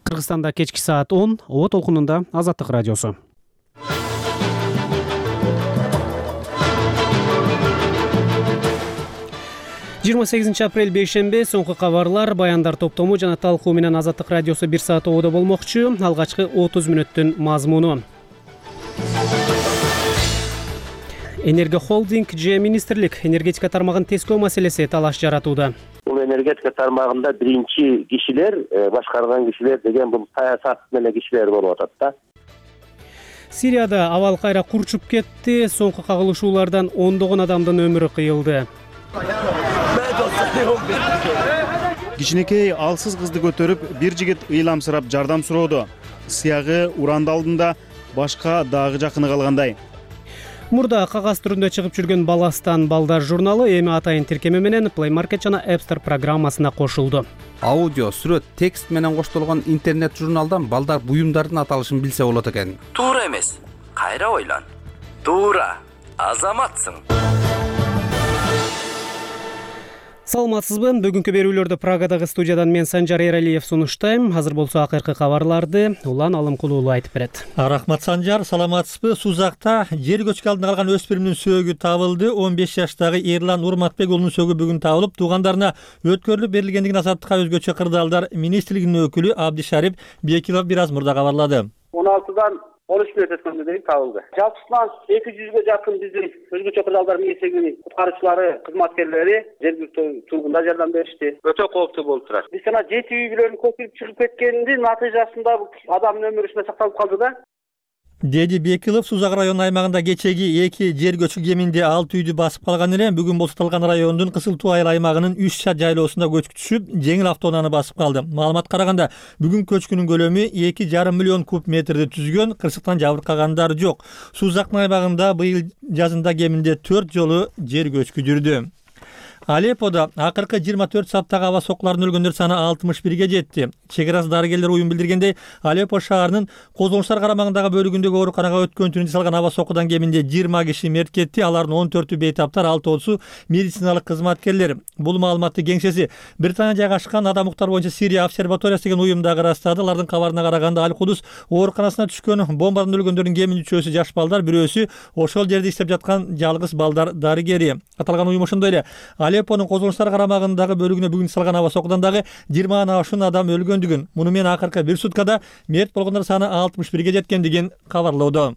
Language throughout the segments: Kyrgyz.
Кыргызстанда кечки саат 10 Оот толкунунда Азаттык радиосу. Жыйырма 8 апрель бейшембе соңку кабарлар, баяндар топтому жана талкуу менен Азаттык радиосу 1 саат оодо болмокчу. Алгачкы 30 мүнөттүн мазмуну. Энерго холдинг же министрлик энергетика тармагын тескөө маселеси талаш жаратууда. Бул энергетика тармагында биринчи кишилер, башкарган кишилер деген бул саясат менен кишилер болуп атат да. Сирияда абал кайра курчуп кетти. Соңку кагылышуулардан ондогон адамдын өмүрү кыйылды. Кичинекей алсыз кызды көтөрүп, бир жигит ыйламсырап жардам сурооду. Сыягы уранды алдында башка дагы жакыны калгандай. Мурда кагаз түрүндө чыгып жүргөн Баластан балдар журналы эми атайын тиркеми менен Play Market жана App Store программасына кошулду. Аудио, сүрөт, текст менен коштолгон интернет журналдан балдар буюмдардын аталышын билсе болот экен. Туура эмес. Кайра ойлон. Туура. Азаматсың. Саламатсызбы? Бүгүнкү берүүлөрдү Прагадагы студиядан мен Санжар Эралиев сунуштайм. Азыр болсо акыркы кабарларды Улан Алымкулуулу айтып берет. Рахмат Санжар, саламатсызбы? Сузакта жер көчкү алдында калган өспүрүмдүн сөөгү табылды. 15 жаштагы Эрлан Урматбек уулунун сөөгү бүгүн табылып, туугандарына өткөрүлүп берилгендигин Азаттыкка өзгөчө кырдаалдар министрлигинин өкүлү Абдишарип Бекилов бир аз мурда кабарлады. 16-дан 13 мүнөт өткөндө дейм табылды. Жалпысынан 200гө жакын биздин өзгөчө кырдаалдар миссиянын куткаруучулары, кызматкерлери жергиликтүү тургундар жардам беришти. Өтө кооптуу болуп турат. Биз жана 7 үй бүлөнүн көчүп чыгып кеткенинин натыйжасында адамдын өмүрү ушундай сакталып калды да. Деди Бекилов Сузак районунун аймагында кечеги 2 жер көчкү кеминде 6 үйдү басып калган эле. Бүгүн болсо талган райондун Кысылтуу айыл аймагынын 3 шат жайлоосунда көчкү түшүп, жеңил автоунааны басып калды. Маалыматка караганда, бүгүн көчкүнүн көлөмү 2,5 миллион куб метрди түзгөн, кырсыктан жабыркагандар жок. Сузактын аймагында быйыл жазында кеминде 4 жолу жер көчкү жүрдү. Алепподо акыркы 24 сааттагы аба сокуларынын өлгөндөр саны 61ге жетти. Чек арасы дарыгерлер уюм билдиргендей, Алеппо шаарынын Козулуштар карамагындагы бөлүгүндөгү ооруканага өткөн түнү жасалган аба сокудан кеминде 20 киши мерт кетти. Алардын 14-ü бейтаптар, 6-су медициналык кызматкерлер. Бул маалыматты кеңсеси Британия жайгашкан адам укуктар боюнча Сирия обсерваториясы деген уюмдагы ырастады. Алардын кабарына караганда Аль-Кудус ооруканасына түшкөн бомбадан өлгөндөрдүн кеминде 3-өсү жаш балдар, бирөөсү ошол жерде иштеп жаткан жалгыз балдар дарыгери. Аталган уюм ошондой эле Алеппонун Козулуштар карамагындагы бөлүгүнө бүгүн салган аба сокудан дагы 20 ашуун адам өлгөндүгүн, муну менен акыркы бир суткада мерт болгондор саны 61ге жеткендигин кабарлоодо.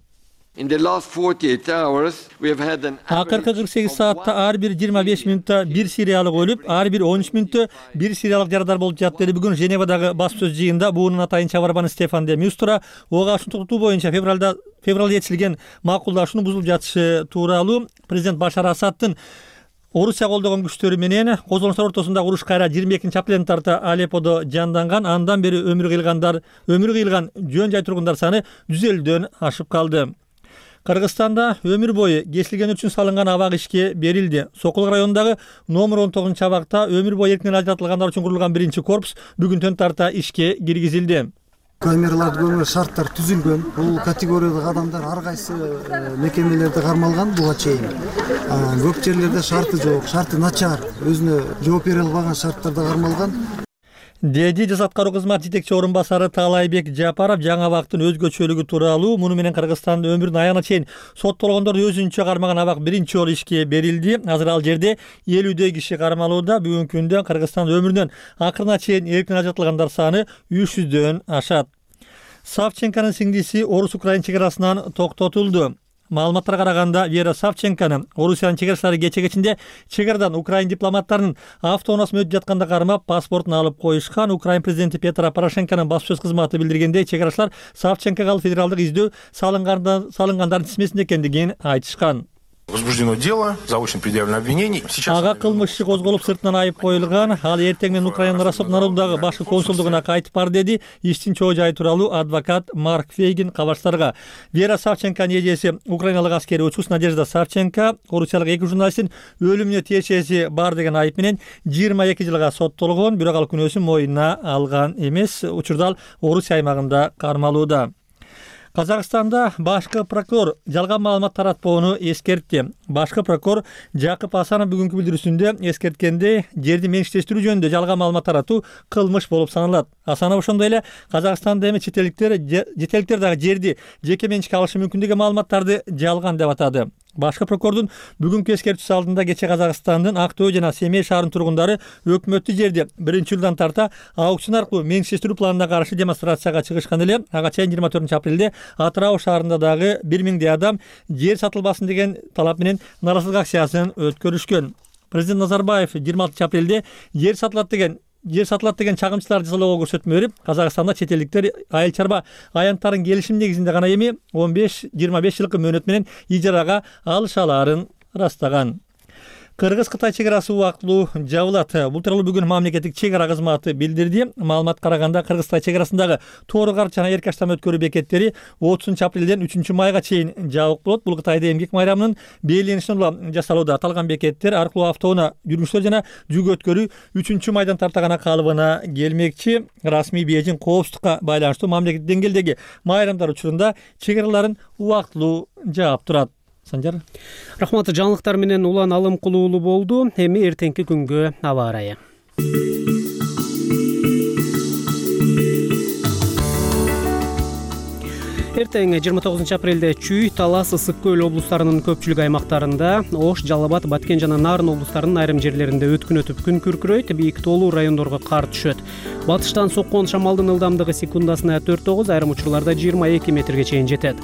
Акыркы 48 саатта ар бир 25 мүнөттө бир сириялык өлүп, ар бир 13 мүнөттө бир сириялык жарадар болуп жатты. Бүгүн Женевадагы баспсөз жыйынында буунун атайын чабарманы Стефан де Мюстра ого ашуун токтотуу боюнча февралда жетишилген макулдашууну бузулуп жатышы тууралуу президент Башар Асаддын Орусия колдогон күчтөрү менен Козулуштар ортосундагы уруш кайра 22-апрелден тарта Алепподо жанданган. Андан бери өмүрү кыйылган жөн жай тургундар саны 150дөн ашып калды. Кыргызстанда өмүр бою кесилген үчүн салынган абак ишке берилди. Сокулук районундагы номер 19 абакта өмүр бою эркинен ажыратылгандар үчүн курулган биринчи корпус бүгүнтөн тарта ишке киргизилди. Камераларды көмөр шарттар түзүлгөн. Бул категориядагы адамдар ар кайсы мекемелерде кармалган буга чейин. Көп жерлерде шарты жок, шарты начар, өзүнө жооп бере албаган шарттарда кармалган. Деди Жаза аткаруу кызматы жетекчи орун басары Таалайбек Жапаров жаңы абактын өзгөчөлүгү тууралуу. Муну менен Кыргызстандын өмүрүнүн аягына чейин соттолгондорду өзүнчө кармаган абак биринчи жолу ишке берилди. Азыр ал жерде 50дөй киши кармалууда. Бүгүнкү күндө Кыргызстан өмүрүнөн акырына чейин эркин ажыратылгандар саны 300дөн ашат. Савченконун сиңдиси Орус-Украин чек арасынан токтотулду. Маалыматтарга караганда, Вера Савченкону Орусиянын чек арачылары кече-кечинде чек арадан Украин дипломаттарынын автоунаасына өтүп жатканда кармап, паспортун алып коюшкан. Украин президенти Петро Порошенконун баспсөз кызматы билдиргендей, чек арачылар Савченкого федералдык издөө салынгандардын тизмесинде экендигин айтышкан. Возбуждено дело, заочно предъявлено обвинение. Ага кылмыш иши козголуп, сыртынан айып коюлган. Ал эртең менен Украинанын Ростов-на-Донудагы башкы консулдугуна кайтып бар, деди иштин чоо жайы тууралуу адвокат Марк Фейгин кабарчыларга. Вера Савченконун эжеси украиналык аскери учус Надежда Савченко орусиялык 2 журналисттин өлүмүнө тиешеси бар деген айып менен 22 жылга соттолгон, бирок ал күнөөсүн моюнуна алган эмес. Учурда ал Орусия аймагында кармалууда. Казакстанда башкы прокурор жалган маалымат таратпоону эскертти. Башкы прокурор Жакып Асанов бүгүнкү билдирүүсүндө эскерткендей, жерди менчиктештирүү жөнүндө жалган маалымат таратуу кылмыш болуп саналат. Асанов ошондой эле Казакстанда эми четеликтер дагы жерди жеке менчикке алышы мүмкүн деген маалыматтарды жалган деп атады. Башкы прокурордун бүгүнкү эскертүүсү алдында кече Казакстандын Ак Төө жана Семей шаарынын тургундары өкмөттүк жерди 1-жылдан тарта аукцион аркылуу менчиктештирүү планына каршы демонстрацияга чыгышкан эле. Ага чейин 24-апрелде Атырау шаарында дагы 1000 адам жер сатылбасын деген талап менен нааразылык акциясын өткөрүшкөн. Президент Назарбаев 26-апрелде жер сатылат деген чагымчыларды жазалоого көрсөтмө берип, Казакстанда чет элдиктер айыл чарба аянттарын келишим негизинде гана эми 15-25 жылкы мөөнөт менен ижарага алышаларын ырастаган. Кыргыз-Кытай чек-арасы убактылуу жабылат. Бул тууралуу бүгүн мамлекеттик чек-ара кызматы билдирди. Маалыматка караганда Кыргыз-Кытай чек-арасындагы Тоор-Карч жана Эркаштам өткөрүү бекеттери 30-апрелден 3-майга чейин жабык болот. Бул Кытайда эмгек майрамынын белгиленишине улам жасалууда. Аталган бекеттер аркылуу автоунаа жүргүчүлөр жана жүк өткөрүү 3-майдан тарта гана калыбына келмекчи. Расмий Бейжиң коопсуздукка байланыштуу мамлекеттик деңгээлдеги майрамдар учурунда чек-араларын убактылуу жаап турат. Санжар. Рахмат, жаңылыктар менен улан алым кылуулуу болду. Эми эртеңки күнгө аба ырайы. Эртең 29-апрелде Чүй, Талас, Ысык көл облустарынын көпчүлүк аймактарында, Ош, Жалал Абад, Баткен жана Нарын облустарынын айрым жерлеринде өткүн өтүп күн күркүрөйт, бийик тоолуу райондорго кар түшөт. Батыштан соккон шамалдын ылдамдыгы секундасына 4-9, айрым учурларда 22 метрге чейин жетет.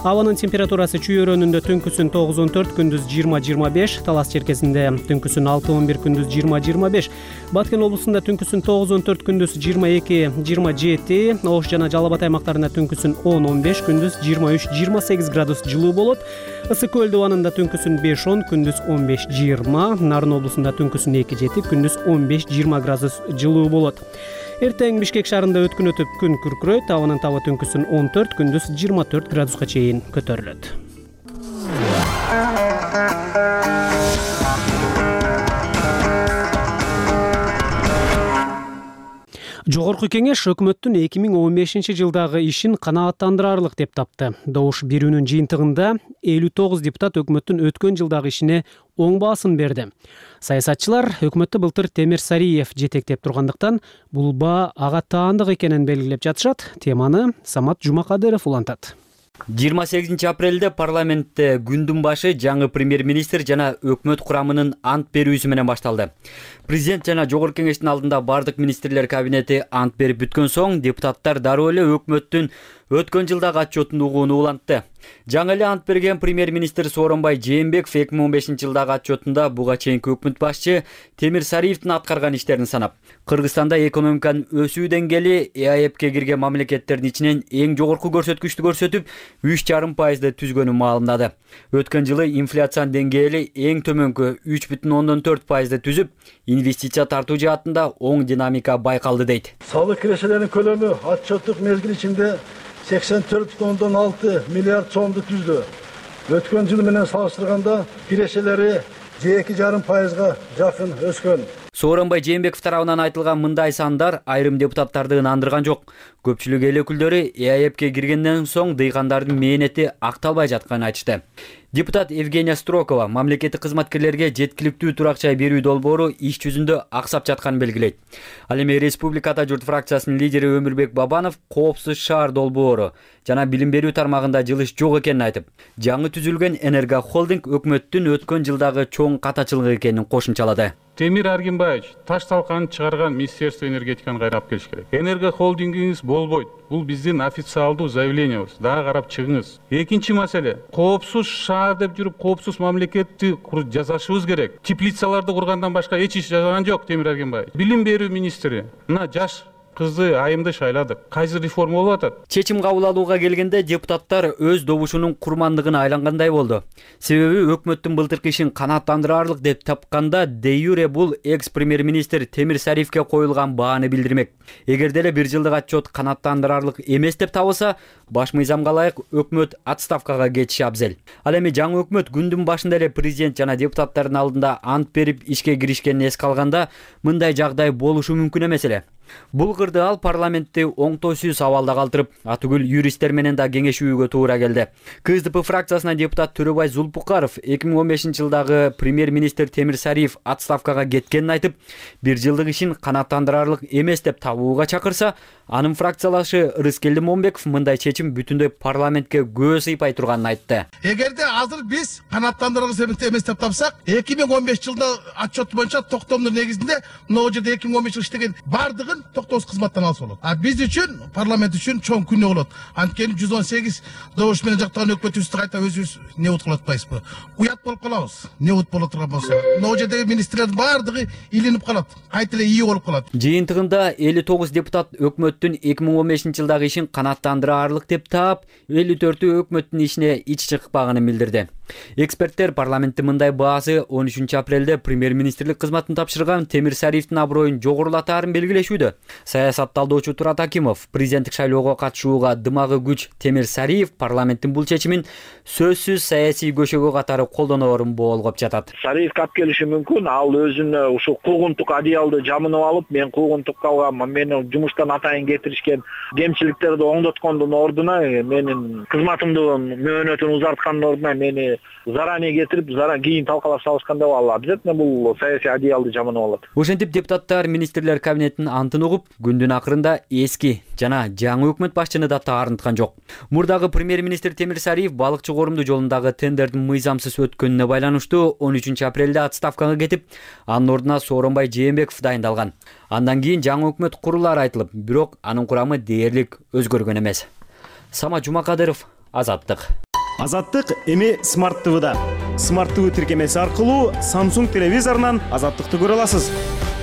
Абанын температурасы Чүй өрөөнүндө түнкүсүн 9-14, күндүз 20-25, Талас черкесинде түнкүсүн 6-11, күндүз 20-25, Баткен облусунда түнкүсүн 9-14, күндүз 22-27, Ош жана Жалал Абад аймактарында түнкүсүн 10-15, күндүз 23-28 градус жылуу болот. Ысык көл абанында түнкүсүн 5-10, күндүз 15-20, Нарын облусунда түнкүсүн 2-7, күндүз 15-20 градус жылуу болот. Эртең Бишкек шаарында өткүн өтүп күн күркүрөйт, абанын табы түнкүсүн 14, күндүз 24 градуска чейин көтөрүлөт. Жогорку кеңеш өкмөттүн 2015-жылдагы ишин канааттандырарлык деп тапты. Добуш берүүнүн жыйынтыгында 59 депутат өкмөттүн өткөн жылдагы ишине оң баасын берди. Саясатчылар өкмөттү былтыр Темир Сариев жетектеп тургандыктан бул баа ага таандык экенин белгилеп жатышат. Теманы Самат Жумакадыров улантат. 28-апрелде парламентте күндүн башы жаңы премьер-министр жана өкмөт курамынын ант берүүсү менен башталды. Президент жана жогорку кеңештин алдында бардык министрлер кабинети ант берип бүткөн соң депутаттар дароо эле өкмөттүн өткөн жылдагы отчетун угууну улантты. Жаңы эле ант берген премьер-министр Сооронбай Жээнбеков 2015-жылдагы отчетунда буга чейинки өкмөт башчы Темир Сариевдин аткарган иштерин санап, Кыргызстанда экономиканын өсүү деңгээли ЭАЭПке кирген мамлекеттердин ичинен эң жогорку көрсөткүчтү көрсөтүп, 3,5% түзгөнүн маалымдады. Өткөн жылы инфляциянын деңгээли эң төмөнкү 3,4% түзүп, инвестиция тартуу жаатында оң динамика байкалды дейт. Салык кирешелеринин көлөмү отчеттук мезгил ичинде 84,6 миллиард сомду түздү. Өткөн жыл менен салыштырганда кирешелери 2,5%га жакын өскөн. Сооронбай Жээнбеков тарабынан айтылган мындай сандар айрым депутаттарды ынандырган жок. Көпчүлүк эл өкүлдөрү ЭАЭПке киргенден соң дыйкандардын мээнети акталбай жатканын айтышты. Депутат Евгения Строкова мамлекеттик кызматкерлерге жеткиликтүү турак жай берүү долбоору иш жүзүндө аксап жатканын белгилейт. Ал эми Республикада журт фракциясынын лидери Өмүрбек Бабанов коопсуз шаар долбоору жана билим берүү тармагында жылыш жок экенин айтып, жаңы түзүлгөн Энерго холдинг өкмөттүн өткөн жылдагы чоң катачылыгы экенин кошумчалады. Темир Аргенбаевич таш талканын чыгарган Министерство энергетиканы кайрап келиш керек. Энерго холдингиңиз болбойт. Бул биздин официалдуу заявлениябыз. Дагы карап чыгыңыз. Экинчи маселе, коопсуз шаар деп жүрүп, коопсуз мамлекетти жасашыбыз керек. Теплицаларды кургандан башка эч иш жасаган жок Темир Аргенбаевич. Билим берүү министри, мына жаш кызды айымды шайладык. Кайсы реформа болуп атат? Чечим кабыл алууга келгенде депутаттар өз добушунун курмандыгына айлангандай болду. Себеби өкмөттүн былтыркы ишин канааттандырарлык деп тапканда де юре бул экс-премьер-министр Темир Сариевке коюлган бааны билдирмек. Эгерде эле бир жылдык отчет канааттандырарлык эмес деп табылса, баш мыйзамга ылайык өкмөт отставкага кетиши абзел. Ал эми жаңы өкмөт күндүн башында эле президент жана депутаттардын алдында ант берип ишке киришкенин эске алганда, мындай жагдай болушу мүмкүн эмес эле. Бул кырды ал парламентти оңтойсуз абалда калтырып, атүгүл юристтер менен да кеңешүүгө туура келди. КСДП фракциясынан депутат Төрөбай Зулпукаров 2015-жылдагы премьер-министр Темир Сариев отставкага кеткенин айтып, 1 жылдык ишин канааттандырарлык эмес деп табууга чакырса, анын фракциялашы Рыскелди Момбеков мындай чечим бүтүндөй парламентке көз сыйпай турганын айтты. Эгерде азыр биз канааттандыргыс эмес деп тапсак, 2015 жылда отчет боюнча токтомдун негизинде могу жерде 2015 жыл иштеген бардыгын токтоосуз кызматтан алса болот. А биз үчүн, парламент үчүн чоң күнөө болот. Анткени 118 добуш менен жактаган өкмөтүбүздү кайта өзүбүз небут кылып атпайбызбы? Уят болуп калабыз. Небут боло турган болсо. Могу жердеги министрлердин бардыгы илинип калат. Кайта эле ии болуп калат. Жыйынтыгында 59 депутат өкмөттүн 2015-жылдагы ишин канааттандырарлык деп таап, 54 өкмөттүн ишине ич чыкпаганын билдирди. Эксперттер парламентте мындай баасы 13 апрелде премьер-министрлик кызматын тапшырган Темир Сариевдин аброюн жогорулатаарын белгилешүүдө. Саясат талдоочу Турат Акимов президенттик шайлоого катышууга дымагы күч Темир Сариев парламенттин бул чечимин сөзсүз саясий көшөгө катары колдонорун болгоп жатат. Сариевге алып келиши мүмкүн. Ал өзүнө ушул куугунтук одеялды жамынып алып, мен куугунтукка алганмын, мени жумуштан атайын кетиришкен, кемчиликтерди оңдоткондун ордуна, менин кызматымдын мөөнөтүн узарткандын ордуна мени заранее кетирип, кийин талкалап салышканда ал обязательно бул саясий одеялды жамынып алат. Ошентип депутаттар министрлер кабинетинин антын угуп, күндүн акырында эски жана жаңы өкмөт башчыны да таарынткан жок. Мурдагы премьер-министр Темир Сариев балыкчы коорумду жолундагы тендердин мыйзамсыз өткөнүнө байланыштуу 13 апрелде отставкага кетип, анын ордуна Сооронбай Жээнбеков дайындалган. Андан кийин жаңы өкмөт курулары айтылып, бирок анын курамы дээрлик өзгөргөн эмес. Самат Жумакадыров, Азаттык. Азаттык эми Smart TV'да. Smart TV тиркемеси аркылуу Samsung телевизорунан Азаттыкты көрө аласыз.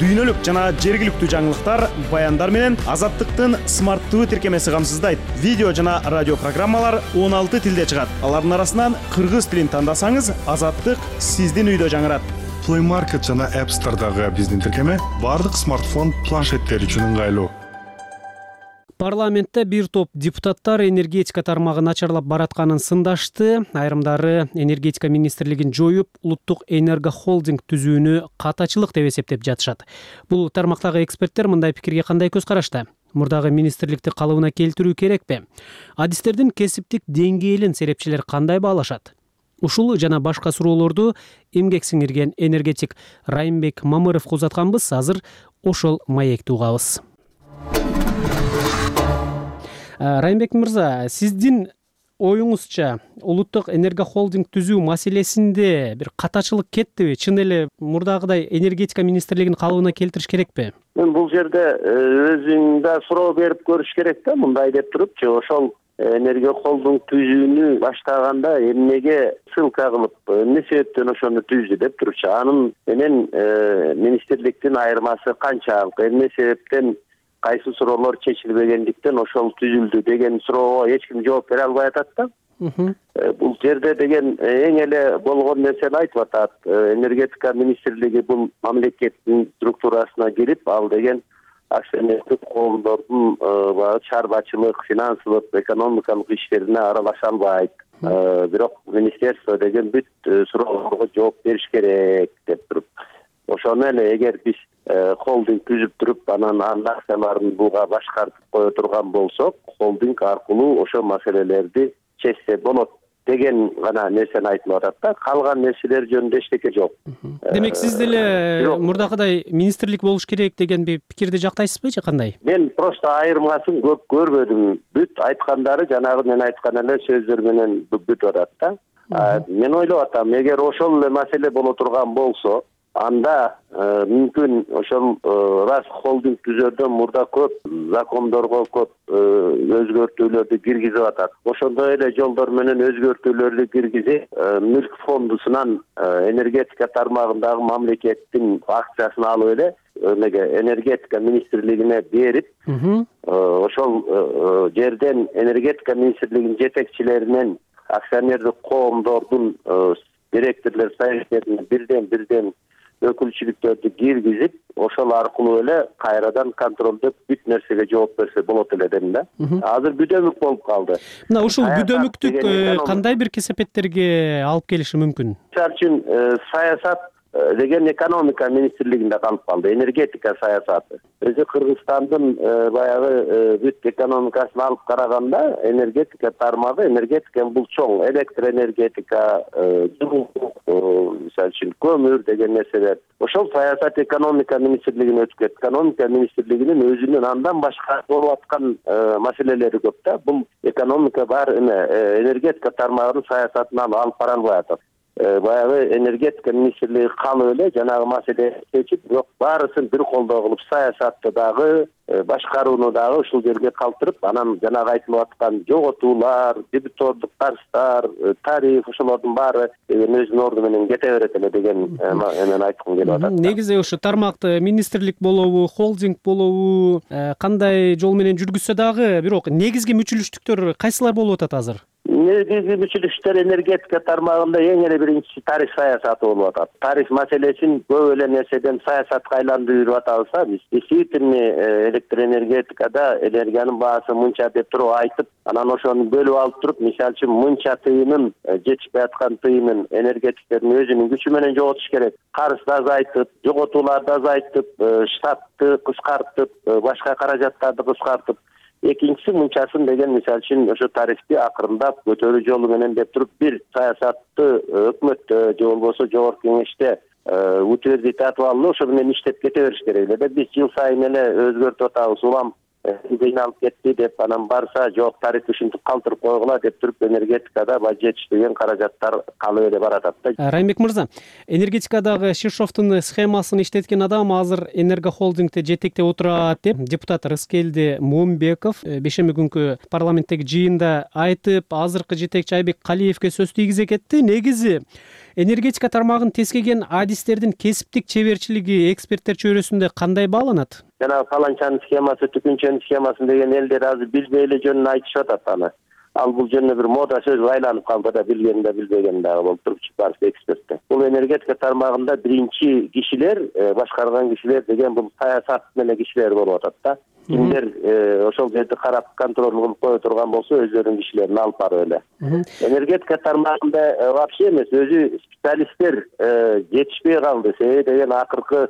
Дүйнөлүк жана жергиликтүү жаңылыктар, баяндар менен Азаттыктын Smart TV тиркемеси камсыздайт. Видео жана радио программалар 16 тилде чыгат. Алардын арасынан кыргыз тилин тандасаңыз, Азаттык сиздин үйдө жаңырат. Play Market жана App Store'дагы биздин тиркеме бардык смартфон, планшеттер үчүн ыңгайлуу. Парламентте бир топ депутаттар энергетика тармагы начарлап баратканын сындашты. Айрымдары энергетика министрлигин жоюп, улуттук энергохолдинг түзүүнү катачылык деп эсептеп жатышат. Бул тармактагы эксперттер мындай пикирге кандай көз карашта? Мурдагы министрликти калыбына келтирүү керекпи? Адистердин кесиптик деңгээлин серепчилер кандай баалашат? Ушул жана башка суроолорду эмгек сиңирген энергетик Райымбек Мамыровго узатканбыз. Азыр ошол маекти угабыз. Райымбек мырза, сиздин оюңузча улуттук энергохолдинг түзүү маселесинде бир катачылык кеттиби? Чын эле мурдагыдай энергетика министрлигин калыбына келтириш керекпи? Мен бул жерде өзүңдө суроо берип көрүш керек да, мындай деп турупчу, ошол энергохолдинг түзүүнү баштаганда эмнеге ссылка кылып, эмне себептен ошону түздү деп турчу. Анын менен министрликтин айырмасы канчалык, эмне себептен кайсы суроолор чечилбегендиктен ошол түзүлдү деген суроого эч ким жооп бере албай атат да. Бул жерде деген эң эле болгон нерсени айтып атат. Энергетика министрлиги бул мамлекеттин структурасына кирип, ал деген акционердик коомдордун чарбачылык, финансылык, экономикалык иштерине аралаша албайт. Бирок министерство деген бүт суроолорго жооп бериш керек деп туруп. Ошону эле эгер биз холдинг түзүп туруп, анан акцияларын буга башкартып кое турган болсок, холдинг аркылуу ошол маселелерди чечсе болот деген гана нерсени айтып атат да. Калган нерселер жөнүндө эчтеке жок. Демек сиз деле мурдагыдай министрлик болуш керек деген пикирди жактайсызбы же кандай? Мен просто айырмасын көп көрбөдүм. Бүт айткандары жанагы мен айткан эле сөздөр менен бүтүп атат да. Мен ойлоп атам, эгер ошол эле маселе боло турган болсо, анда мүмкүн ошол раз холдинг түзөрдөн мурда көп закондорго көп өзгөртүүлөрдү киргизип атат. Ошондой эле жолдор менен өзгөртүүлөрдү киргизип, мүлк фондусунан энергетика тармагындагы мамлекеттин акциясын алып эле энергетика министрлигине берип, ошол жерден энергетика министрлигинин жетекчилеринен акционердик коомдордун директорлор советтерине бирден өкүлчүлүктөрдү киргизип, ошол аркылуу эле кайрадан контролдоп бүт нерсеге жооп берсе болот эле дедим да. Азыр бүдөмүк болуп калды. Мына ушул бүдөмүктүк кандай бир кесепеттерге алып келиши мүмкүн? Мисалы үчүн саясат деген экономика министрлигинде калып калды, энергетика саясаты. Өзү Кыргызстандын баягы бүт экономикасын алып караганда энергетика тармагы, энергетика бул чоң, электр энергетика, мисалы үчүн көмүр деген нерселер. Ошол саясат экономика министрлигине өтүп кетти. Экономика министрлигинин өзүнүн андан башка болуп аткан маселелери көп да. Бул экономика бар энергетика тармагынын саясатынан алып бара албай атат. Баягы энергетика министрлиги калып эле жанагы маселени чечип, бирок баарысын бир колдоо кылып саясатты дагы, башкарууну дагы ушул жерге калтырып, анан жанагы айтылып аткан жоготуулар, дебитордук карыздар, тариф ошолордун баары өзүнүн орду менен кете берет эле деген эмен айткым келип атат. Негизи ушу тармакты министрлик болобу, холдинг болобу, кандай жол менен жүргүзсө дагы, бирок негизги мүчүлүштүктөр кайсылар болуп атат азыр? Негизги мүчүлүштөр энергетика тармагында эң эле биринчиси тариф саясаты болуп атат. Тариф маселесин көп эле нерседен саясатка айландырып атабызда биз. Действительно электроэнергетикада энергиянын баасы мынча деп туруп айтып, анан ошону бөлүп алып туруп, мисалы үчүн мынча тыйынын, жетишпей аткан тыйынын энергетиктердин өзүнүн күчү менен жоготуш керек. Карызды азайтып, жоготууларды азайтып, штатты кыскартып, башка каражаттарды кыскартып, экинчиси мынчасын деген мисалы үчүн ошо тарифти акырындап көтөрүү жолу менен деп туруп бир саясатты өкмөттө же болбосо жогорку кеңеште утвердить алып, ошо менен иштеп кете бериш керек эле. Биз жыл сайын эле өзгөртүп атабыз, улам кыйналып кетти деп, анан барса жок тариф ушинтип калтырып койгула деп туруп энергетикада жетишпеген каражаттар калып эле баратат да. Райымбек мырза, энергетикадагы Шишовдун схемасын иштеткен адам азыр энергохолдингде жетектеп отурат деп депутат Рыскелди Момбеков бейшемби күнкү парламенттеги жыйында айтып, азыркы жетекчи Айбек Калиевге сөз тийгизе кетти. Негизи энергетика тармагын тескеген адистердин кесиптик чеберчилиги эксперттер чөйрөсүндө кандай бааланат? Жана фаланчанын схемасы, түкүнчөнүн схемасын деген элдер азыр билбей эле жөнүн айтышып атат аны. Ал бул жөнүндө бир мода сөз айланып калды да, билген да билбеген дагы болуп туруп барча эксперттер. Бул энергетика тармагында биринчи кишилер, башкарган кишилер деген бул саясат менен кишилер болуп атат да. Кимдер ошол жерди карап контроль кылып кое турган болсо өздөрүнүн кишилерин алып барып эле. Энергетика тармагында вообще эмес, өзү специалисттер жетишпей калды. Себеби деген акыркы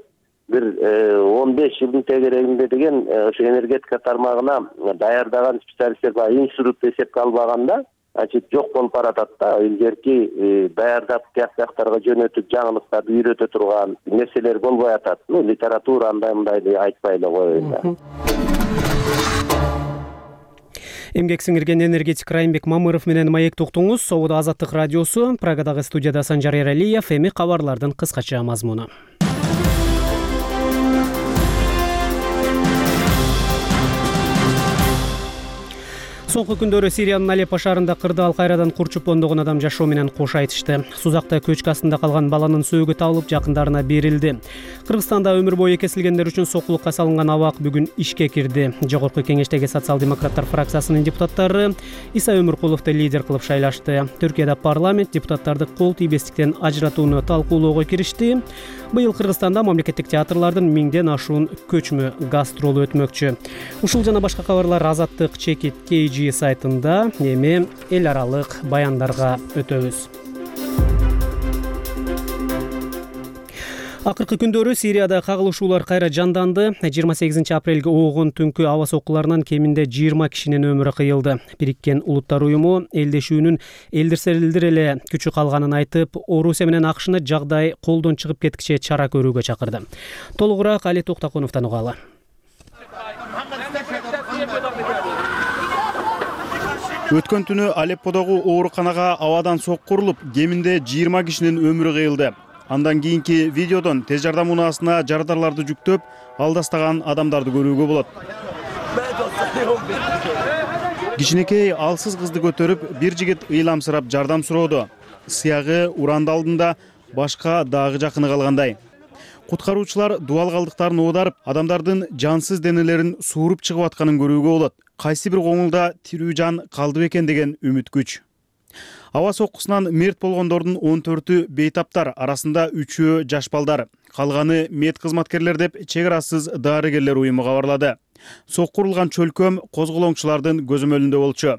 бир 15 жылдын тегерегинде деген ошо энергетика тармагына даярдаган специалисттер баягы институт эсепке албаганда жок болуп баратат да. Илгерки даярдап тияктарга жөнөтүп жаңылыктарды үйрөтө турган нерселер болбой атат. Литература андай айтпай эле коеюн. Эмгек сиңирген энергетик Райымбек Мамыров менен маекти уктуңуз. Собуда Азаттык радиосу, Прагадагы студияда Санжар Эралиев. Эми кабарлардын кыскача мазмуну. Соңку күндөрү Сириянын Алеппо шаарында кырдаал кайрадан курчуп ондогон адам жашоо менен кош айтышты. Сузакта көчкү астында калган баланын сөөгү табылып жакындарына берилди. Кыргызстанда өмүр бою кесилгендер үчүн сокулукка салынган абак бүгүн ишке кирди. Жогорку кеңештеги социал-демократтар фракциясынын депутаттары Иса Өмүркуловду лидер кылып шайлашты. Түркияда парламент депутаттарды кол тийбестиктен ажыратууну талкуулоого киришти. Быйыл Кыргызстанда мамлекеттик театрлардын 1000ден ашуун көчмө гастролу өтмөкчү. Ушул жана башка кабарлар Азаттык чекит KG сайтында. Эми эл аралык баяндарга өтөбүз. Акыркы күндөрү Сирияда кагылышуулар кайра жанданды. 28 апрелге оогун түнкү аба соккуларынан кеминде 20 кишинин өмүрү кыйылды. Бириккен Улуттар уюму элдешүүнүн элдирселдир эле күчү калганын айтып, Орусия менен АКШны жагдай колдон чыгып кеткиче чара көрүүгө чакырды. Толугураак Али Токтакуновдон угалы. Өткөн түнү Алепподогу ооруканага абадан сокку урулуп, кеминде 20 кишинин өмүрү кыйылды. Андан кийинки видеодон тез жардам унаасына жардарларды жүктөп, алдастаган адамдарды көрүүгө болот. Кичинекей алсыз кызды көтөрүп, бир жигит ыйламсырап жардам сурооду. Сыягы уранды алдында башка дагы жакыны калгандай. Куткаруучулар дубал калдыктарын оодарып, адамдардын жансыз денелерин сууруп чыгып атканын көрүүгө болот. Кайсы бир коңулда тирүү жан калды бекен деген үмүт күч. Аба соккусунан мерт болгондордун 14-ü бейтаптар, арасында 3-ü жаш балдар. Калганы мед кызматкерлер деп чек арасыз дарыгерлер уюму кабарлады. Сокку урулган чөлкөм козголоңчулардын көзөмөлүндө болчу.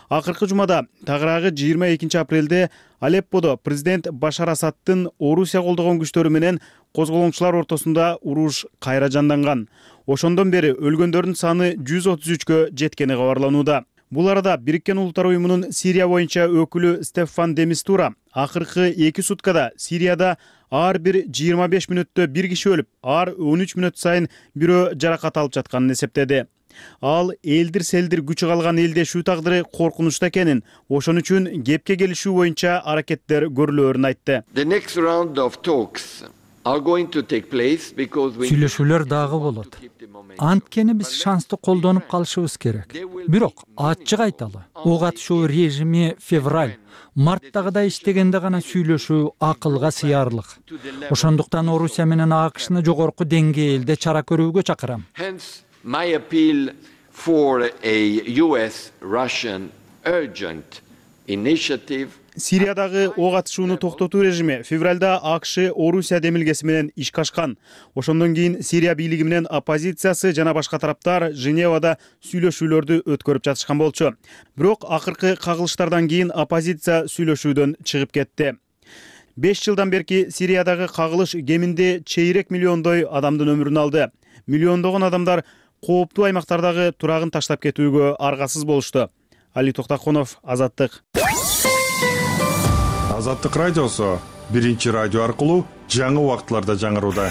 Акыркы жумада тагыраагы 22 апрелде Алепподо президент Башар Асаддын Орусия колдогон күчтөрү менен козголоңчулар ортосунда уруш кайра жанданган. Ошондон бери өлгөндөрдүн саны 133кө жеткени кабарланууда. Бул арада Бириккен Улуттар уюмунун Сирия боюнча өкүлү Стефан де Мистура акыркы 2 суткада Сирияда ар бир 25 мүнөттө бир киши өлүп, ар 13 мүнөт сайын бирөө жаракат алып жатканын эсептеди. Ал элдир-селдир күчү калган элдешүү тагдыры коркунучта экенин, ошон үчүн кепке келишүү боюнча аракеттер көрүлөөрүн айтты. Сүйлөшүүлөр дагы болот. Анткени биз шансты колдонуп калышыбыз керек. Бирок ачык айталы, ок атышуу режими февраль, марттагыдай иштегенде гана сүйлөшүү акылга сыярлык. Ошондуктан Орусия менен АКШны жогорку деңгээлде чара көрүүгө чакырам. My appeal for a US-Russian urgent initiative. Сириядагы ок атышууну токтотуу режими февралда АКШ Орусия демилгеси менен ишке ашкан. Ошондон кийин Сирия бийлиги менен оппозициясы жана башка тараптар Женевада сүйлөшүүлөрдү өткөрүп жатышкан болчу. Бирок акыркы кагылыштардан кийин оппозиция сүйлөшүүдөн чыгып кетти. 5 жылдан берки Сириядагы кагылыш кеминде чейрек миллиондой адамдын өмүрүн алды. Миллиондогон адамдар кооптуу аймактардагы турагын таштап кетүүгө аргасыз болушту. Али Токтаконов, Азаттык. Азаттык радиосу биринчи радио аркылуу жаңы убакытларда жаңырууда.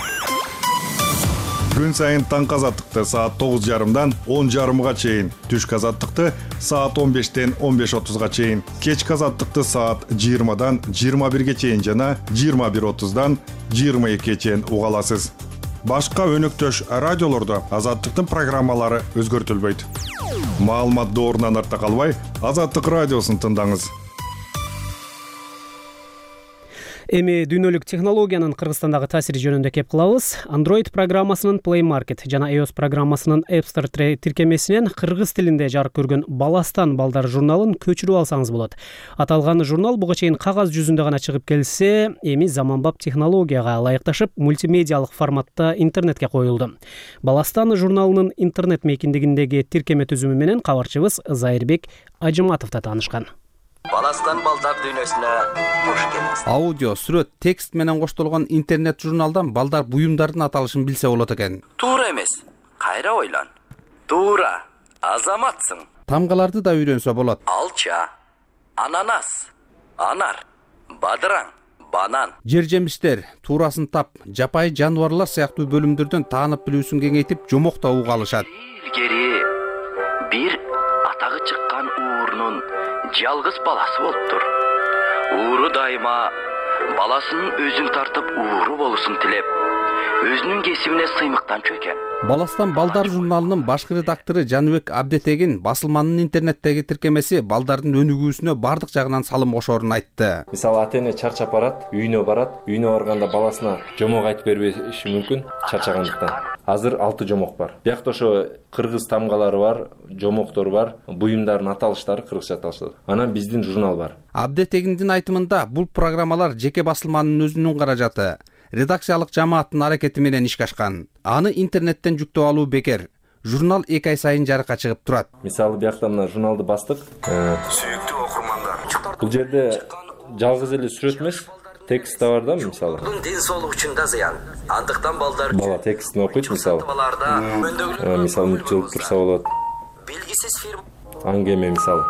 Күн сайын таңкы азаттыкты саат 9:30дан 10:30га чейин, түшкү азаттыкты саат 15-тен 15:30га чейин, кечки азаттыкты саат 20-дан 21-ге чейин жана 21:30-дан 22-ге чейин уга аласыз. Башка өнөктөш радиолордо Азаттыктын программалары өзгөртүлбөйт. Маалымат доорунан артта калбай, Азаттык радиосун тыңдаңыз. Эми дүйнөлүк технологиянын Кыргызстандагы таасири жөнүндө кеп кылабыз. Android программасынын Play Market жана iOS программасынын App Store тиркемесинен кыргыз тилинде жарык көргөн Баластан балдар журналын көчүрүп алсаңыз болот. Аталган журнал буга чейин кагаз жүзүндө гана чыгып келсе, эми заманбап технологияга ылайыкташып, мультимедиалык форматта интернетке коюлду. Баластан журналынын интернет мейкиндигиндеги тиркеме түзүмү менен кабарчыбыз Зайырбек Ажыматовдо таанышкан. Баластан балдар дүйнөсүнө кош келиңиз. Аудио, сүрөт, текст менен коштолгон интернет журналдан балдар буюмдардын аталышын билсе болот экен. Туура эмес. Кайра ойлон. Туура. Азаматсың. Тамгаларды да үйрөнсө болот. Алча, ананас, анар, бадыраң, банан. Жер жемиштер, туурасын тап, жапайы жаныбарлар сыяктуу бөлүмдөрдөн таанып билүүсүн кеңейтип, жомокто уга алышат. Илгери бир атагы чыккан уурунун жалгыз баласы болуптур. Ууру дайыма баласынын өзүн тартып ууру болушун тилеп, өзүнүн кесибине сыймыктан чөйгөн. Баластан балдар журналынын башкы редактору Жаныбек Абдетегин басылманын интернеттеги тиркемеси балдардын өнүгүүсүнө бардык жагынан салым кошоорун айтты. Мисалы ата-эне чарчап барат, үйүнө барганда баласына жомок айтып бербеши мүмкүн, чарчагандыктан. Азыр 6 жомок бар. Биякта ошо кыргыз тамгалары бар, жомоктор бар, буюмдардын аталыштары кыргызча аталыштар. Анан биздин журнал бар. Абдетегиндин айтымында бул программалар жеке басылманын өзүнүн каражаты, редакциялык жамааттын аракети менен ишке ашкан. Аны интернеттен жүктөп алуу бекер. Журнал 2 ай сайын жарыкка чыгып турат. Мисалы биякта мына журналды бастык. Сүйүктүү окурмандар. Бул жерде жалгыз эле сүрөт эмес, текст да бар да, мисалы. Ден соолук үчүн да зыян. Андыктан балдар бала текстин окуйт, мисалы. Мисалы мультилип турса болот. Белгисиз фирма. Аңгеме мисалы.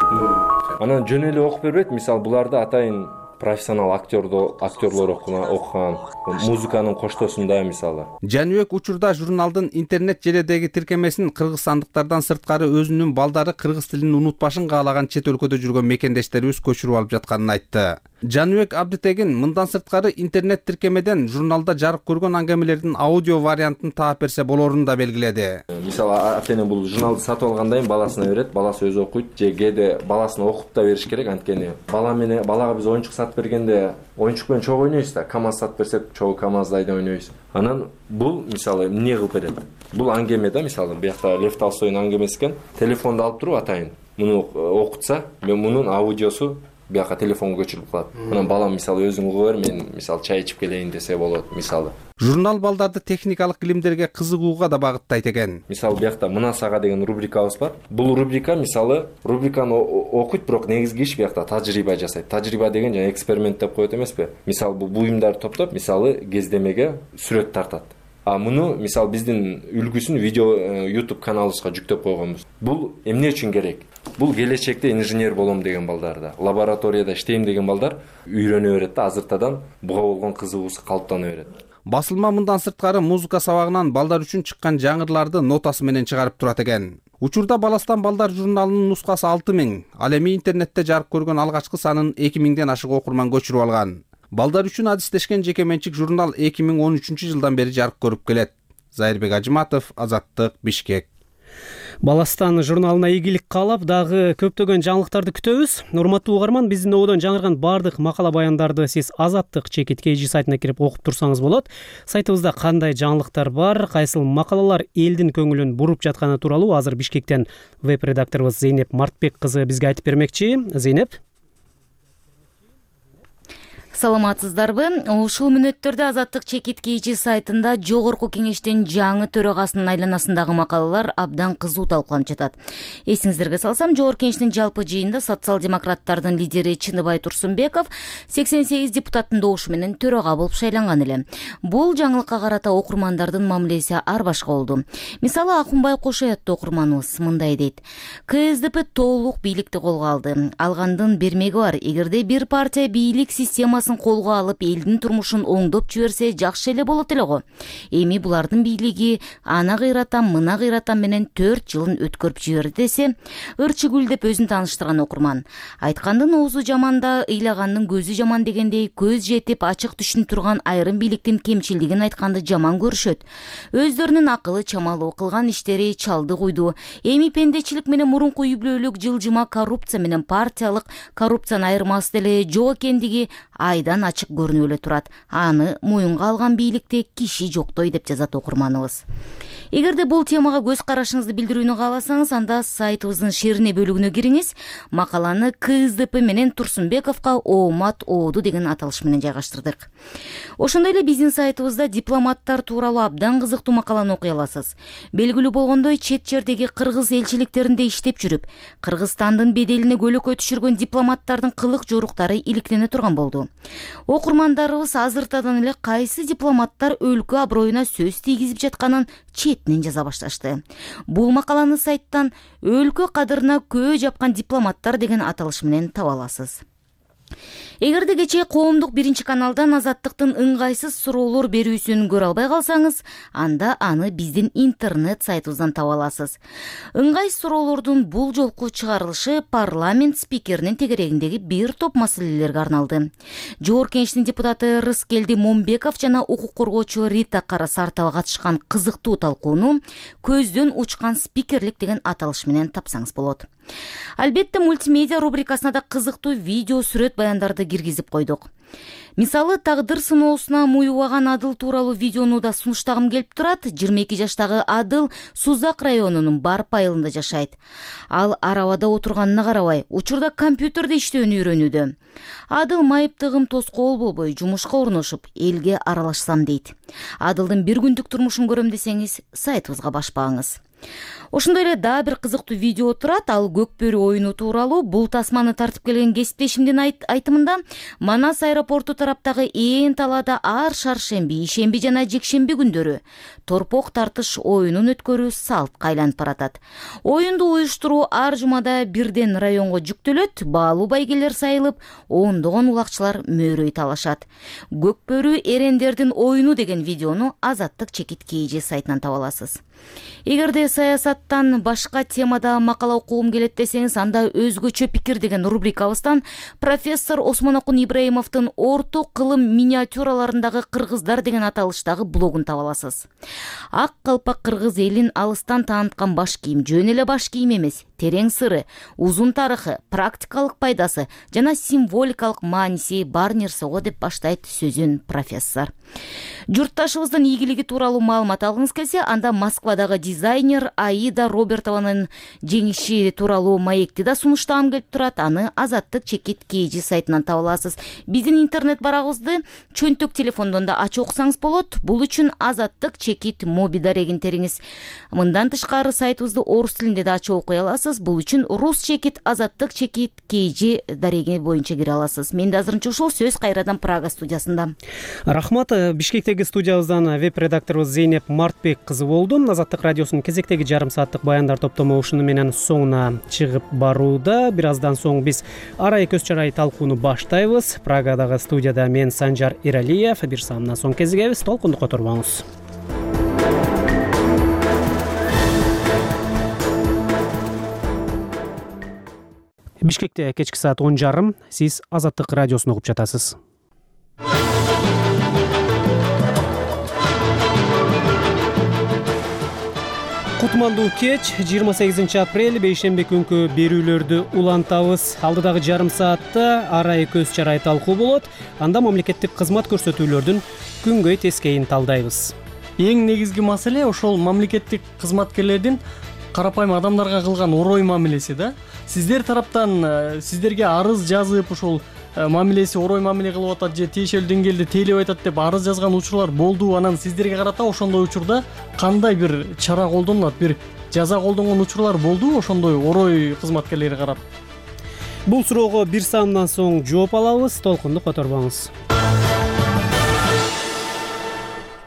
Анан жөн эле окуп бербейт, мисалы буларда атайын профессионал актерлор окуган, музыканын коштосунда мисалы. Жаныбек учурда журналдын интернет желедеги тиркемесин кыргызстандыктардан сырткары өзүнүн балдары кыргыз тилин унутпашын каалаган чет өлкөдө жүргөн мекендештерибиз көчүрүп алып жатканын айтты. Жаныбек Абдетегин мындан сырткары интернет тиркемеден журналда жарык көргөн аңгемелердин аудио вариантын таап берсе болоорун да белгиледи. Мисалы ата-эне бул журналды сатып алгандан кийин баласына берет, баласы өзү окуйт, же кээде баласына окуп да бериш керек, анткени балага биз оюнчук сатып бергенде оюнчук менен чогуу ойнойбуз да, КамАЗ сатып берсек чогуу КамАЗды айдап ойнойбуз. Анан бул мисалы эмне кылып берет? Бул аңгеме да, мисалы биякта Лев Толстойдун аңгемеси экен. Телефонду алып туруп атайын муну окутса, мен мунун аудиосу бияка телефонго көчүрүлүп калат. Анан балам мисалы өзүң угуп бер, мен мисалы чай ичип келейин десе болот мисалы. Журнал балдарды техникалык илимдерге кызыгууга да багыттайт экен. Мисалы биякта мына сага деген рубрикабыз бар. Бул рубрика мисалы рубриканы окуйт, бирок негизги иш биякта тажрыйба жасайт. Тажрыйба деген жана эксперимент деп коет эмеспи? Мисалы бул буюмдарды топтоп, мисалы кездемеге сүрөт тартат. А муну мисалы биздин үлгүсүн видео YouTube каналыбызга жүктөп койгонбуз. Бул эмне үчүн керек? Бул келечекте инженер болом деген балдарда, лабораторияда иштейм деген балдар үйрөнө берет да, азыртадан буга болгон кызыгуусу калыптана берет. Басылма мындан сырткары музыка сабагынан балдар үчүн чыккан жаңырларды нотасы менен чыгарып турат экен. Учурда Баластан балдар журналынын нускасы 6000, ал эми интернетте жарык көргөн алгачкы санын 2000ден ашык окурман көчүрүп алган. Балдар үчүн адистешкен жеке менчик журнал 2013-жылдан бери жарык көрүп келет. Зайырбек Ажыматов, Азаттык, Бишкек. Баластан журналына ийгилик каалап, дагы көптөгөн жаңылыктарды күтөбүз. Урматтуу угарман, биздин ободон жаңырган бардык макала баяндарды сиз Азаттык ЧКТ сайтына кирип окуп турсаңыз болот. Сайтыбызда кандай жаңылыктар бар, кайсыл макалалар элдин көңүлүн буруп жатканы тууралуу азыр Бишкектен веб-редакторубуз Зейнеп Мартбек кызы бизге айтып бермекчи. Зейнеп. Саламатсыздарбы? Ушул мүнөттөрдө Азаттык ЧКТ сайтында жогорку кеңештин жаңы төрагасынын айланасындагы макалалар абдан кызуу талкууланып жатат. Эсиңиздерге салсам, жогорку кеңештин жалпы жыйынында социал-демократтардын лидери Чыныбай Турсунбеков 88 депутаттын добушу менен төрага болуп шайланган эле. Бул жаңылыкка карата окурмандардын мамилеси ар башка болду. Мисалы, Акунбай Кошоятты окурманыбыз мындай дейт: КСДП толук бийликти колго алды. Алгандын бермеги бар. Эгерде бир партия бийлик системасын колго алып элдин турмушун оңдоп жиберсе жакшы эле болот эле го. Эми булардын бийлиги ана кыйратам, мына кыйратам менен 4 жылын өткөрүп жиберди десе, ырчыгүл деп өзүн тааныштырган окурман. Айткандын оозу жаманда, ыйлагандын көзү жаман дегендей, көз жетип ачык түшүнүп турган айрым бийликтин кемчилдигин айтканды жаман көрүшөт. Өздөрүнүн акылы чамалуу, кылган иштери чалды куйду. Эми пендечилик менен мурунку үй-бүлөлүк жылжыма коррупция менен партиялык коррупцияны айырмасы деле жок экендиги айдан ачык көрүнүп эле турат. Аны моюнга алган бийликте киши жоктой деп жазат окурманыбыз. Эгерде бул темага көз карашыңызды билдирүүнү кааласаңыз, анда сайтыбыздын шерине бөлүгүнө кириңиз. Макаланы КСДП менен Турсунбековго оомат ооду деген аталыш менен жайгаштырдык. Ошондой эле биздин сайтыбызда дипломаттар тууралуу абдан кызыктуу макаланы окуй аласыз. Белгилүү болгондой, чет жердеги кыргыз элчиликтеринде иштеп жүрүп, Кыргызстандын беделине көлөкө түшүргөн дипломаттардын кылык жоруктары иликтене турган болду. Окурмандарыбыз азыртадан эле кайсы дипломаттар өлкө аброюна сөз тийгизип жатканын четинен жаза башташты. Бул макаланы сайттан өлкө кадырына көө жапкан дипломаттар деген аталыш менен таба аласыз. Эгерде кечээ коомдук биринчи каналдан Азаттыктын ыңгайсыз суроолор берүүсүн көрө албай калсаңыз, анда аны биздин интернет сайтыбыздан таба аласыз. Ыңгайсыз суроолордун бул жолку чыгарылышы парламент спикеринин тегерегиндеги бир топ маселелерге арналды. Жогорку кеңештин депутаты Рыскелди Момбеков жана укук коргоочу Рита Карасартова катышкан кызыктуу талкууну көздөн учкан спикерлик деген аталыш менен тапсаңыз болот. Албетте, мультимедиа рубрикасына да кызыктуу видео сүрөт баяндарды киргизип койдук. Мисалы, тагдыр сыноосуна муюбаган Адыл тууралуу видеону да сунуштагым келип турат. 22 жаштагы Адыл Сузак районунун Барп айылында жашайт. Ал арабада отурганына карабай, учурда компьютерде иштөөнү үйрөнүүдө. Адыл майыптыгым тоскоол болбой, жумушка орношуп, элге аралашсам дейт. Адылдын бир күндүк турмушун көрөм десеңиз, сайтыбызга башпаңыз. Ошондой эле дагы бир кызыктуу видео турат. Ал көкбөрү оюну тууралуу. Бул тасманы тартып келген кесиптешимдин айтымында Манас аэропорту тараптагы ээн талаада ар шаршемби, ишемби жана жекшемби күндөрү торпок тартыш оюнун өткөрүү салтка айланып баратат. Оюнду уюштуруу ар жумада бирден районго жүктөлөт. Баалуу байгелер сайылып, ондогон улакчылар мөөрөй талашат. Көкбөрү эрендердин оюну деген видеону Азаттык ЧКТ сайтынан таба аласыз. Эгерде саясаттан башка темада макала окугум келет десеңиз, анда өзгөчө пикир деген рубрикабыздан профессор Осмонокун Ибраимовдун орто кылым миниатюраларындагы кыргыздар деген аталыштагы блогун таба аласыз. Ак калпак кыргыз элин алыстан тааныткан баш кийим жөн эле баш кийим эмес, терең сыры, узун тарыхы, практикалык пайдасы жана символикалык мааниси бар нерсе го деп баштайт сөзүн профессор. Журтташыбыздын ийгилиги тууралуу маалымат алгыңыз келсе, анда Москвадагы дизайнер Аида Робертованын жеңиши тууралуу маекти да сунуштагым келип турат. Аны Азаттык чекит KG сайтынан таба аласыз. Биздин интернет барагыбызды чөнтөк телефондон да ачып окусаңыз болот. Бул үчүн Азаттык чекит моби дарегин териңиз. Мындан тышкары сайтыбызды орус тилинде да ачып окуй аласыз. Бул үчүн рус чекит, Азаттык чекит KG дареги боюнча кире аласыз. Менде азырынча ушул, сөз кайрадан Прага студиясында. Рахмат. Бишкектеги студиябыздан веб-редакторубуз Зейнеп Мартбек кызы болду. Азаттык радиосунун кезектеги жарым сааттык баяндар топтому ушуну менен соңуна чыгып барууда. Бир аздан соң биз арай көз чарай талкууну баштайбыз. Прагадагы студияда мен Санжар Иралиев. Бир саамдан соң кезигебиз. Толкунду которбоңуз. Бишкекте кечки саат 10:30. Сиз Азаттык радиосун угуп жатасыз. Кутмандуу кеч 28 апрель бейшемби күнкү берүүлөрдү улантабыз. Алдыдагы жарым саатта арай көз чарай талкуу болот. Анда мамлекеттик кызмат көрсөтүүлөрдүн күнгөй тескейин талдайбыз. Эң негизги маселе ошол мамлекеттик кызматкерлердин карапайым адамдарга кылган орой мамилеси да. Сиздер тараптан сиздерге арыз жазып ошол мамилеси орой мамиле кылып атат же тиешелүү деңгээлде тейлеп айтат деп арыз жазган учурлар болду. Анан сиздерге карата ошондой учурда кандай бир чара колдонулат, бир жаза колдонгон учурлар болду ошондой орой кызматкерлери карап? Бул суроого бир саамдан соң жооп алабыз. Толкунду которбоңуз.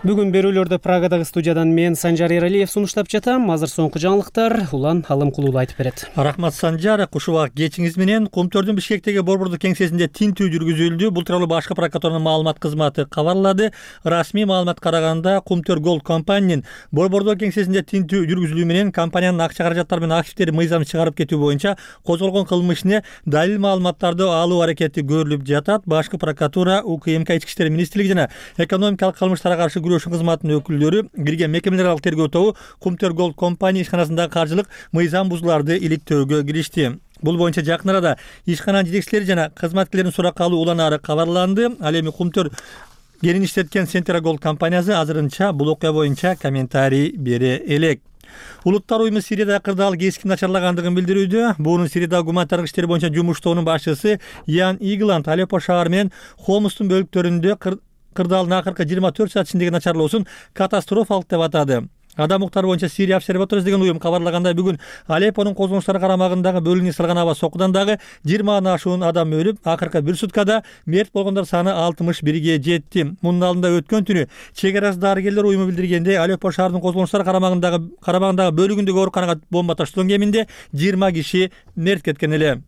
Бүгүн берүүлөрдү Прагадагы студиядан мен Санжар Иралиев сунуштап жатам. Азыр соңку жаңылыктар Улан Алымкулуу айтып берет. Рахмат Санжар, кушубак кечиңиз менен Кумтөрдүн Бишкектеги борбордук кеңсесинде тинтүү жүргүзүлдү. Бул тууралуу башкы прокуратуранын маалымат кызматы кабарлады. Расмий маалымат караганда Кумтөр Голд компаниянын борбордук кеңсесинде тинтүү жүргүзүлүү менен компаниянын акча каражаттары менен активдери мыйзам чыгарып кетүү боюнча козголгон кылмыш ишине далил маалыматтарды алуу аракети көрүлүп жатат. Башкы прокуратура, УКМК Ички иштер министрлиги жана экономикалык кылмыштарга каршы кызматынын өкүлдөрү кирген мекемелер аралык тергөө тобу Кумтөр Голд компания ишканасындагы каржылык мыйзам бузууларды иликтөөгө киришти. Бул боюнча жакын арада ишкананын жетекчилери жана кызматкерлерин суракка алуу уланаары кабарланды. Ал эми Кумтөр кенин иштеткен Сентера Голд компаниясы азырынча бул окуя боюнча комментарий бере элек. Улуттар уюму Сирияда кырдаал кескин начарлагандыгын билдирүүдө. Буунун Сириядагы гуманитардык иштер боюнча жумуштоонун башчысы Ян Игланд Алеппо шаары менен Хомустун бөлүктөрүндө кырдаалдын акыркы 24 саат ичиндеги начарлоосун катастрофалык деп атады. Адам укуктары боюнча Сирия обсерваториясы деген уюм кабарлагандай, бүгүн Алеппонун козголуштары карамагындагы бөлүнүп салган аба сокудан дагы 20 ашуун адам өлүп, акыркы бир суткада мерт болгондор саны 61ге жетти. Мунун алдында өткөн түнү чек арасы дарыгерлер уюму билдиргендей, Алеппо шаарынын козголуштары карамагындагы бөлүгүндөгү ооруканага бомба таштоон кеминде 20 киши мерт кеткен эле.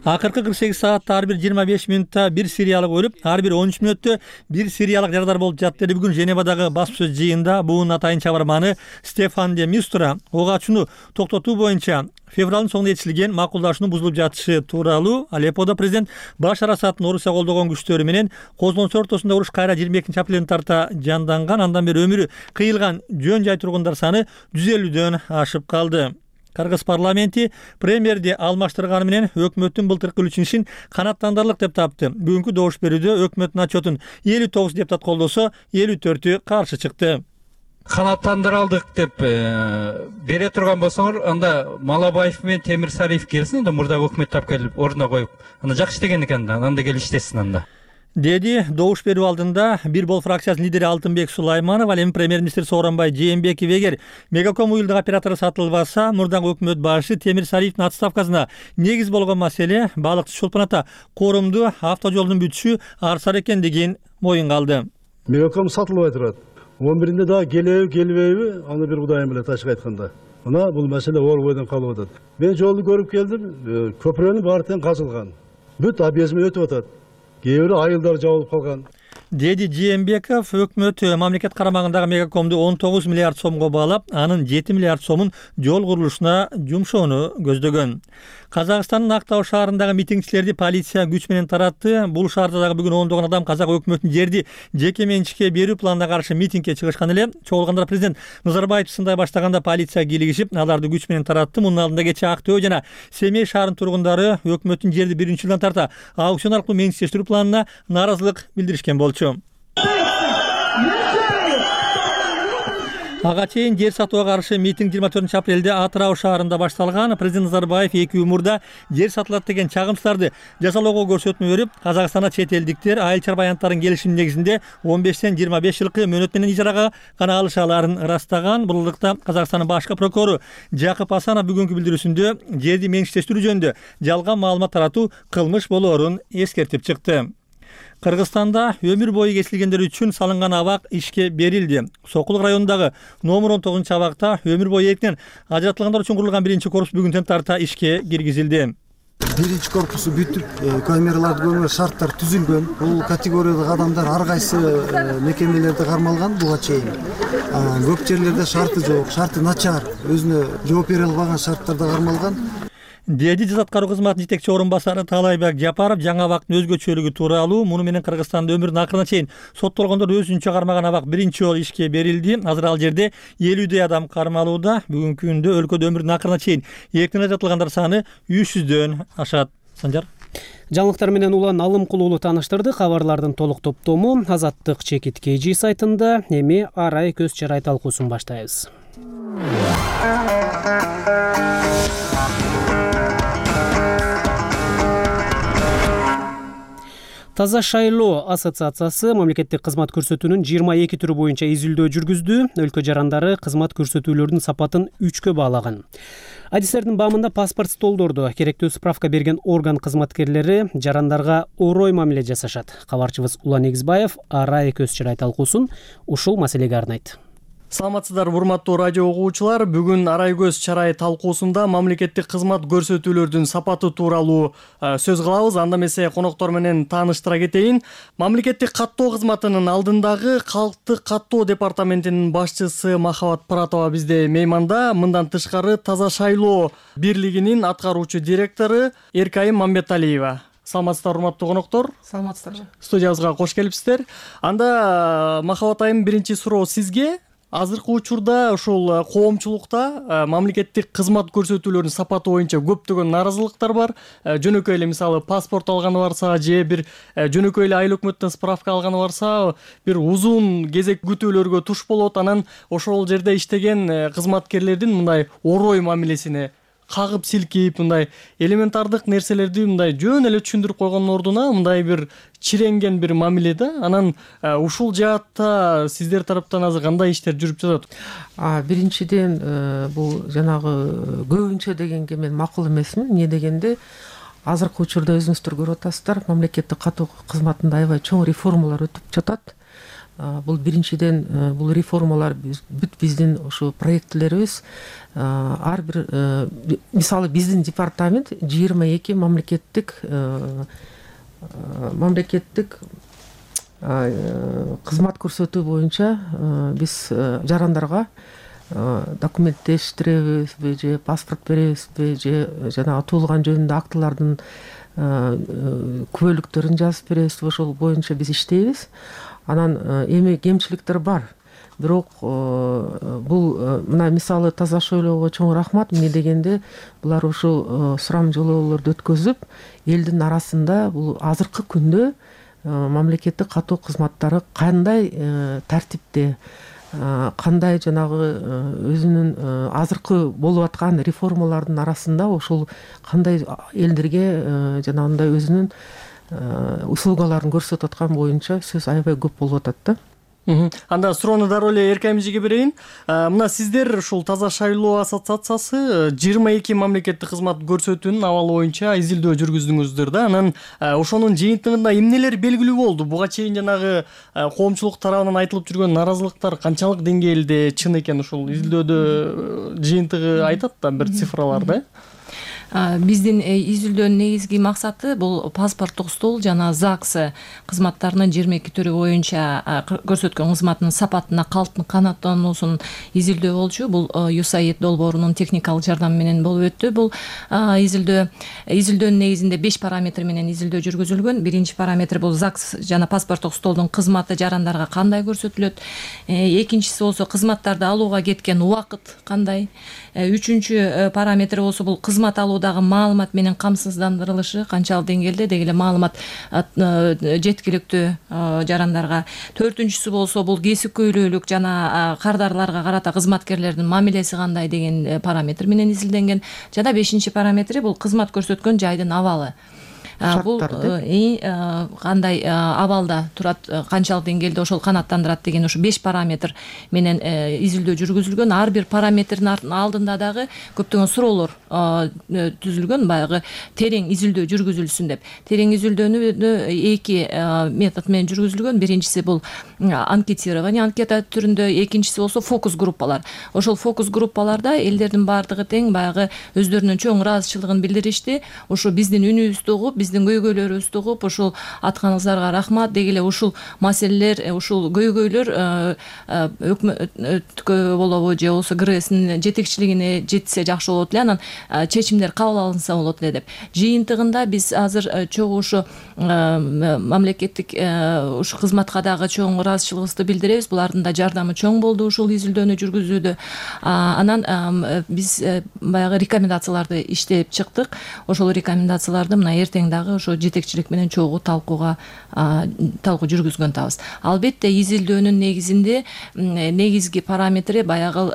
Акыркы 48 саатта ар бир 25 мүнөттө бир сириялык өлүп, ар бир 13 мүнөттө бир сириялык жарадар болуп жатты. Бүгүн Женевадагы баспсөз жыйында буунун атайын чабарманы Стефан де Мистура ого ачууну токтотуу боюнча февралдын соңунда жетишилген макулдашуунун бузулуп жатышы тууралуу Алепподо президент Башар Асаддын Орусия колдогон күчтөрү менен козголуштар ортосунда уруш кайра 22 апрелдин тарта жанданган. Андан бери өмүрү кыйылган жөн жай тургундар саны 150дөн ашып калды. Кыргыз парламенти премьерди алмаштырганы менен өкмөттүн былтыркы ишин канааттандырылык деп тапты. Бүгүнкү добуш берүүдө өкмөттүн отчетун 59 депутат колдосо, 54-ü каршы чыкты. Канааттандыралдык деп бере турган болсоңор, анда Малабаев менен Темирсариев келсин, анда мурда өкмөт тап келип ордуна коюп, анда жакшы иштеген экен, анда келип иштесин анда. Деди добуш берүү алдында Бир бол фракциясынын лидери Алтынбек Сулайманов, ал эми премьер-министр Сооронбай Жээнбеков эгер Мегаком уюлдук оператору сатылбаса, мурдагы өкмөт башы Темирсариевдин отставкасына негиз болгон маселе балыкчы Чолпон ата коорумду автожолдун бүтүшү арсар экендигин моюнга алды. Мегаком сатылбай турат. 11-inde дагы келбейби, аны бир Кудайым билет ачык айтканда. Мына бул маселе орбойдон калып атат. Мен жолду көрүп келдим, көпүрөнүн баары тең казылган. Бүт объездме өтүп атат. Кээ бири айылдар жабылып калган. деди Жээнбеков өкмөт мамлекет карамагындагы мегакомду 19 миллиард сомго баалап, анын 7 миллиард сомун жол курулушуна жумшоону көздөгөн. Казакстандын Актау шаарындагы митингчилерди полиция күч менен таратты. Бул шаарда дагы бүгүн ондогон адам казак өкмөтүнүн жерди жеке менчикке берүү планына каршы митингге чыгышкан эле. Чогулгандар президент Назарбаев сындай баштаганда полиция кийлигишип, аларды күч менен таратты. Мунун алдында кечээ Актөө жана Семей шаарынын тургундары өкмөттүн жерди 1-жылдан тарта аукцион аркылуу менчиктештирүү планына нааразылык билдиришкен болчу. Ага чейин жер сатууга каршы митинг 24 апрелде Атырау шаарында башталган. Президент Назарбаев 2 мурда жер сатылат деген чагымчыларды жазалоого көрсөтмө берип, Казакстанда чет элдиктер айыл чарба аянттарын келишим негизинде 15-тен 25 жылкы мөөнөт менен ижарага гана алыша аларын ырастаган. Бул ылдыкта Казакстандын башкы прокурору Жакып Асанов бүгүнкү билдирүүсүндө жерди менчиктештирүү жөнүндө жалган маалымат таратуу кылмыш болоорун эскертип чыкты. Кыргызстанда өмүр бою кесилгендер үчүн салынган абак ишке берилди. Сокулук районундагы номер 19 абакта өмүр бою эркинен ажыратылгандар үчүн курулган 1-корпус бүгүнтөн тарта ишке киргизилди. 1-корпусу бүтүп, камераларды көмөр шарттар түзүлгөн. Бул категориядагы адамдар ар кайсы мекемелерде кармалган буга чейин. Көп жерлерде шарты жок, шарты начар, өзүнө жооп бере албаган шарттарда кармалган. Деди Жаза аткаруу кызматынын жетекчи орун басары Таалайбек Жапаров жаңы абактын өзгөчөлүгү тууралуу, муну менен Кыргызстанда өмүрүнүн акырына чейин соттолгондор өзүнчө кармаган абак 1-жолу ишке берилди. Азыр ал жерде 50дөй адам кармалууда. Бүгүнкү күндө өлкөдө өмүрүнүн акырына чейин эркин ажыратылгандар саны 300дөн ашат. Санжар. Жаңылыктар менен Улан Алымкулуулу тааныштырды. Кабарлардын толук топтому Азаттык чекит KG сайтында. Эми арай көз чарай талкуусун баштайбыз. Таза шайлоо ассоциациясы мамлекеттик кызмат көрсөтүүнүн 22 түрү боюнча изилдөө жүргүздү. Өлкө жарандары кызмат көрсөтүүлөрдүн сапатын 3кө баалаган. Адистердин баамында паспорт столдордо керектүү справка берген орган кызматкерлери жарандарга орой мамиле жасашат. Кабарчыбыз Улан Эгизбаев арай көз чарай талкуусун ушул маселеге арнайт. Саламатсыздарбы урматтуу радио угуучулар. Бүгүн арай көз чарай талкуусунда мамлекеттик кызмат көрсөтүүлөрдүн сапаты тууралуу сөз кылабыз. Анда эмесе коноктор менен тааныштыра кетейин. Мамлекеттик каттоо кызматынын алдындагы калктык каттоо департаментинин башчысы Махабат Пыратова бизде мейманда. Мындан тышкары Таза шайлоо бирлигинин аткаруучу директору Эркайым Мамбеталиева. Саламатсыздар урматтуу коноктор. Саламатсыздарбы. Студиябызга кош келипсиздер. Анда Махабат айым, биринчи суроо сизге. Азыркы учурда ушул коомчулукта мамлекеттик кызмат көрсөтүүлөрүнүн сапаты боюнча көптөгөн нааразылыктар бар. Жөнөкөй эле мисалы паспорт алганы барса же бир жөнөкөй эле айыл өкмөттөн справка алганы барса бир узун кезек күтүүлөргө туш болот. Анан ошол жерде иштеген кызматкерлердин мындай орой мамилесине кагып силкип, мындай элементардык нерселерди мындай жөн эле түшүндүрүп койгондун ордуна мындай бир чиренген бир мамиле да. Анан ушул жаатта сиздер тараптан азыр кандай иштер жүрүп жатат? Биринчиден бул жанагы көбүнчө дегенге мен макул эмесмин. Эмне дегенде азыркы учурда өзүңүздөр көрүп атасыздар, мамлекеттик каттоо кызматында аябай чоң реформалар өтүп жатат. Бул биринчиден бул реформалар бүт биздин ушу проектлерибиз ар бир мисалы биздин департамент 22 мамлекеттик кызмат көрсөтүү боюнча биз жарандарга документтештиребизби же паспорт беребизби же жанагы туулган жөнүндө актылардын күбөлүктөрүн жазып беребизби, ошол боюнча биз иштейбиз. Анан эми кемчиликтер бар. Бирок бул мына мисалы Таза шайлоого чоң рахмат. Эмне дегенде булар ушул сурам жолоолорду өткөзүп, элдин арасында бул азыркы күндө мамлекеттик каттоо кызматтары кандай тартипте, кандай жанагы өзүнүн азыркы болуп аткан реформалардын арасында ошол кандай элдерге жанагындай өзүнүн услугаларын көрсөтүп аткан боюнча сөз аябай көп болуп атат да. Анда суроону дароо эле Эркайым эжеге берейин. Мына сиздер ушул Таза шайлоо ассоциациясы 22 мамлекеттик кызмат көрсөтүүнүн абалы боюнча изилдөө жүргүздүңүздөр да. Анан ошонун жыйынтыгында эмнелер белгилүү болду? Буга чейин жанагы коомчулук тарабынан айтылып жүргөн нааразылыктар канчалык деңгээлде чын экен? Ушул изилдөөдө жыйынтыгы айтат да бир цифралар да. Биздин изилдөөнүн негизги максаты бул паспорттук стол жана ЗАГС кызматтарынын 22 түрү боюнча көрсөткөн кызматынын сапатына канааттануусун изилдөө болчу. Бул USAID долбоорунун техникалык жардамы менен болуп өттү. Бул изилдөөнүн негизинде 5 параметр менен изилдөө жүргүзүлгөн. Биринчи параметр бул ЗАГС жана паспорттук столдун кызматы жарандарга кандай көрсөтүлөт. Экинчиси болсо кызматтарды алууга кеткен убакыт кандай. Үчүнчү параметр болсо бул кызмат алуудагы маалымат менен камсыздандырылышы канчалык деңгээлде деги эле маалымат жеткиликтүү жарандарга. Төртүнчүсү болсо бул кесипкөйлүүлүк жана кардарларга карата кызматкерлердин мамилеси кандай деген параметр менен изилденген. Жана бешинчи параметри бул кызмат көрсөткөн жайдын абалы. Бул кандай абалда турат, канчалык деңгээлде ошол канааттандырат деген ушу 5 параметр менен изилдөө жүргүзүлгөн. Ар бир параметрдин алдында дагы көптөгөн суроолор түзүлгөн, баягы терең изилдөө жүргүзүлсүн деп. Терең изилдөөнү 2 метод менен жүргүзүлгөн. Биринчиси бул анкетирование, анкета түрүндө, экинчиси болсо фокус группалар. Ошол фокус группаларда элдердин баардыгы тең баягы өздөрүнүн чоң ыраазычылыгын билдиришти. Ошо биздин үнүбүздү угуп, биздин көйгөйлөрүбүздү угуп, ушул атканыңыздарга рахмат, деги эле ушул маселелер, ушул көйгөйлөр өкмөткө болобу же болбосо КРСнин жетекчилигине жетсе жакшы болот эле, анан чечимдер кабыл алынса болот эле деп. Жыйынтыгында биз азыр чогуу ушу мамлекеттик ушу кызматка дагы чоң ыраазычылыгыбызды билдиребиз. Булардын да жардамы чоң болду ушул изилдөөнү жүргүзүүдө. Анан биз баягы рекомендацияларды иштеп чыктык. Ошол рекомендацияларды мына эртең дагы ошо жетекчилик менен чогуу талкуу жүргүзгөн атабыз. Албетте изилдөөнүн негизинде негизги параметри баягы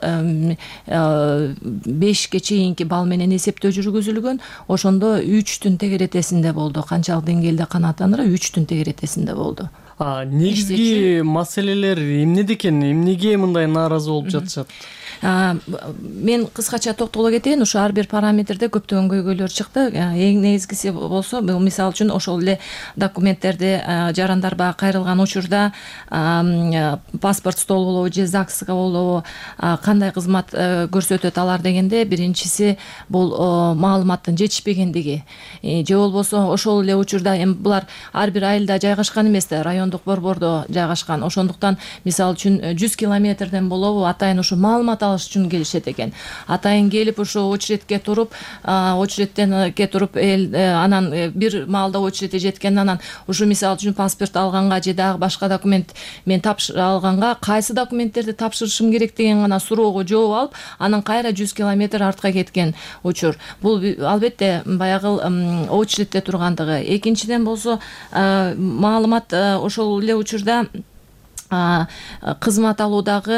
5ке чейинки балл менен эсептөө жүргүзүлгөн. Ошондо 3-түн тегеретесинде болду. Канчалык деңгээлде канааттандырат 3-түн тегеретесинде болду. Негизги маселелер эмнеде экен? Эмнеге мындай нааразы болуп жатышат? Мен кыскача токтоло кетейин. Ушу ар бир параметрде көптөгөн көйгөйлөр чыкты. Эң негизгиси болсо, бул мисалы үчүн ошол эле документтерди жарандарга кайрылган учурда паспорт стол болобу же ЗАГСга болобу кандай кызмат көрсөтөт алар дегенде, биринчиси бул маалыматтын жетишпегендиги. Же болбосо ошол эле учурда булар ар бир айылда жайгашкан эмес да, райондук борбордо жайгашкан. Ошондуктан мисалы үчүн 100 километрден болобу атайын ушу маалымат алыш үчүн келишет экен. Атайын келип ушу очередке туруп, очередтен туруп анан бир маалда очередке жеткен, анан ушу мисалы үчүн паспорт алганга же дагы башка документ мен алганга кайсы документтерди тапшырышым керек деген гана суроого жооп алып, анан кайра 100 километр артка кеткен учур. Бул албетте баягы очередте тургандыгы. Экинчиден болсо маалымат ошол эле учурда кызмат алуудагы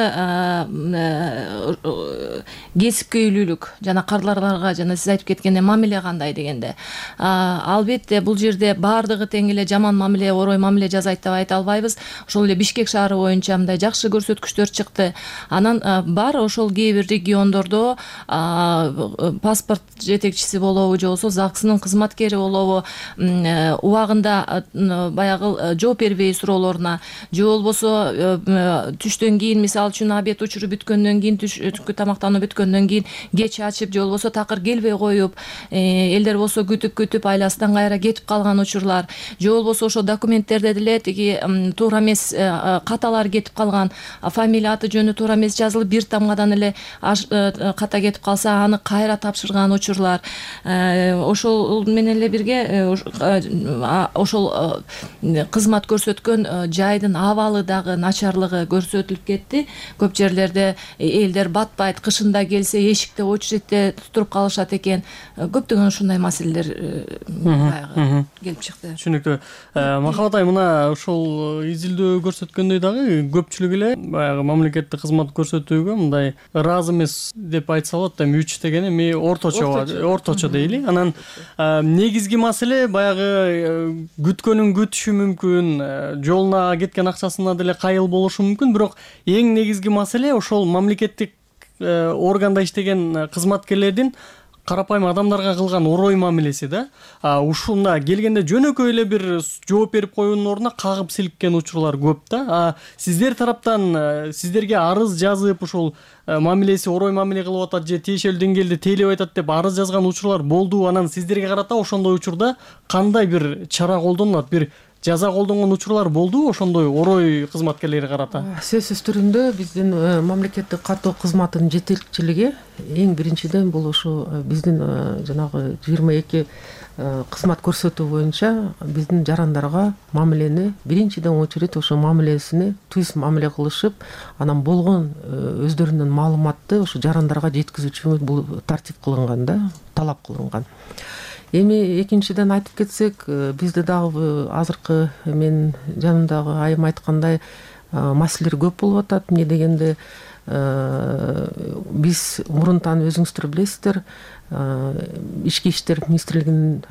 кесипкөйлүүлүк жана кардарларга жана сиз айтып кеткендей мамиле кандай дегенде, албетте бул жерде баардыгы тең эле жаман мамиле, орой мамиле жасайт деп айта албайбыз. Ошол эле Бишкек шаары боюнча мындай жакшы көрсөткүчтөр чыкты. Анан бар ошол кээ бир региондордо паспорт жетекчиси болобу же болбосо ЗАГСнын кызматкери болобу убагында баягы жооп бербей суроолоруна, же болбосо түштөн кийин, мисалы үчүн обед учуру бүткөндөн кийин, түшкү тамактануу бүткөндөн кийин кеч ачып же болбосо такыр келбей коюп, элдер болсо күтүп айласынан кайра кетип калган учурлар, же болбосо ошо документтерде деле тиги туура эмес каталар кетип калган, фамилия аты жөнү туура эмес жазылып, бир тамгадан эле ката кетип калса, аны кайра тапшырган учурлар. Ошол менен эле бирге ошол кызмат көрсөткөн жайдын абалы дагы начарлыгы көрсөтүлүп кетти. Көп жерлерде элдер батпайт, кышында келсе эшикте очередте туруп калышат экен. Көптөгөн ушундай маселелер келип чыкты. Түшүнүктүү. Махабат айым, мына ошол изилдөө көрсөткөндөй дагы көпчүлүк эле баягы мамлекеттик кызмат көрсөтүүгө мындай ыраазы эмес деп айтса болот. Эми 3 деген эми орточо дейли. Анан негизги маселе баягы күткөнүн күтүшү мүмкүн, жолуна кеткен акчасына деле кайыл болушу мүмкүн, бирок эң негизги маселе ошол мамлекеттик органда иштеген кызматкерлердин карапайым адамдарга кылган орой мамилеси да. Ушунда келгенде жөнөкөй эле бир жооп берип коюунун ордуна кагып силиккен учурлар көп да. Сиздер тараптан сиздерге арыз жазып ушул мамилеси орой мамиле кылып атат же тиешелүү деңгээлде тейлеп айтат деп арыз жазган учурлар болду. Анан сиздерге карата ошондой учурда кандай бир чара колдонулат, бир жаза колдонгон учурлар болдубу ошондой орой кызматкерлери карата? Сөзсүз түрүндө биздин мамлекеттик каттоо кызматынын жетекчилиги эң биринчиден бул ушу биздин жанагы 22 кызмат көрсөтүү боюнча биздин жарандарга мамилени биринчиден очередь ошо мамилесине түз мамиле кылышып, анан болгон өздөрүнүн маалыматты ошо жарандарга жеткизүүчү бул тартип кылынган да, талап кылынган. Эми экинчиден айтып кетсек, бизде дагы азыркы менин жанымдагы айым айткандай маселелер көп болуп атат. Эмне дегенде биз мурунтан өзүңүздөр билесиздер, Ички иштер министрлигинин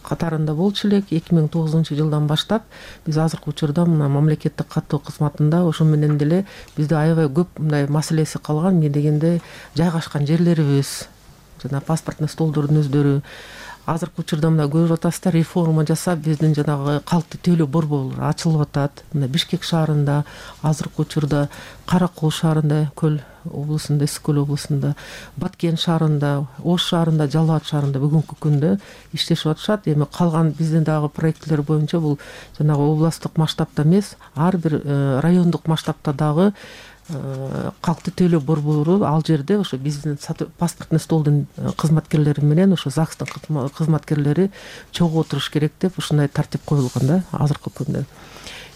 катарында болчу элек. 2009-жылдан баштап биз азыркы учурда мына мамлекеттик каттоо кызматында ошо менен деле бизде аябай көп мындай маселеси калган. Эмне дегенде жайгашкан жерлерибиз, жана паспортный столдордун өздөрү азыркы учурда мына көрүп атасыздар, реформа жасап биздин жанагы калкты төлөө борборлору ачылып атат. Мына Бишкек шаарында, азыркы учурда Кара Кол шаарында, Көл облусунда, Эски Көл облусунда, Баткен шаарында, Ош шаарында, Жалал Абад шаарында бүгүнкү күндө иштешип атышат. Эми калган биздин дагы проектлер боюнча бул жанагы областтык масштабта эмес, ар бир райондук масштабта дагы калкты төлөө борбору ал жерде ошо биздин паспортный столдун кызматкерлери менен ошо ЗАГСтын кызматкерлери чогуу отуруш керек деп ушундай тартип коюлган да азыркы күндө.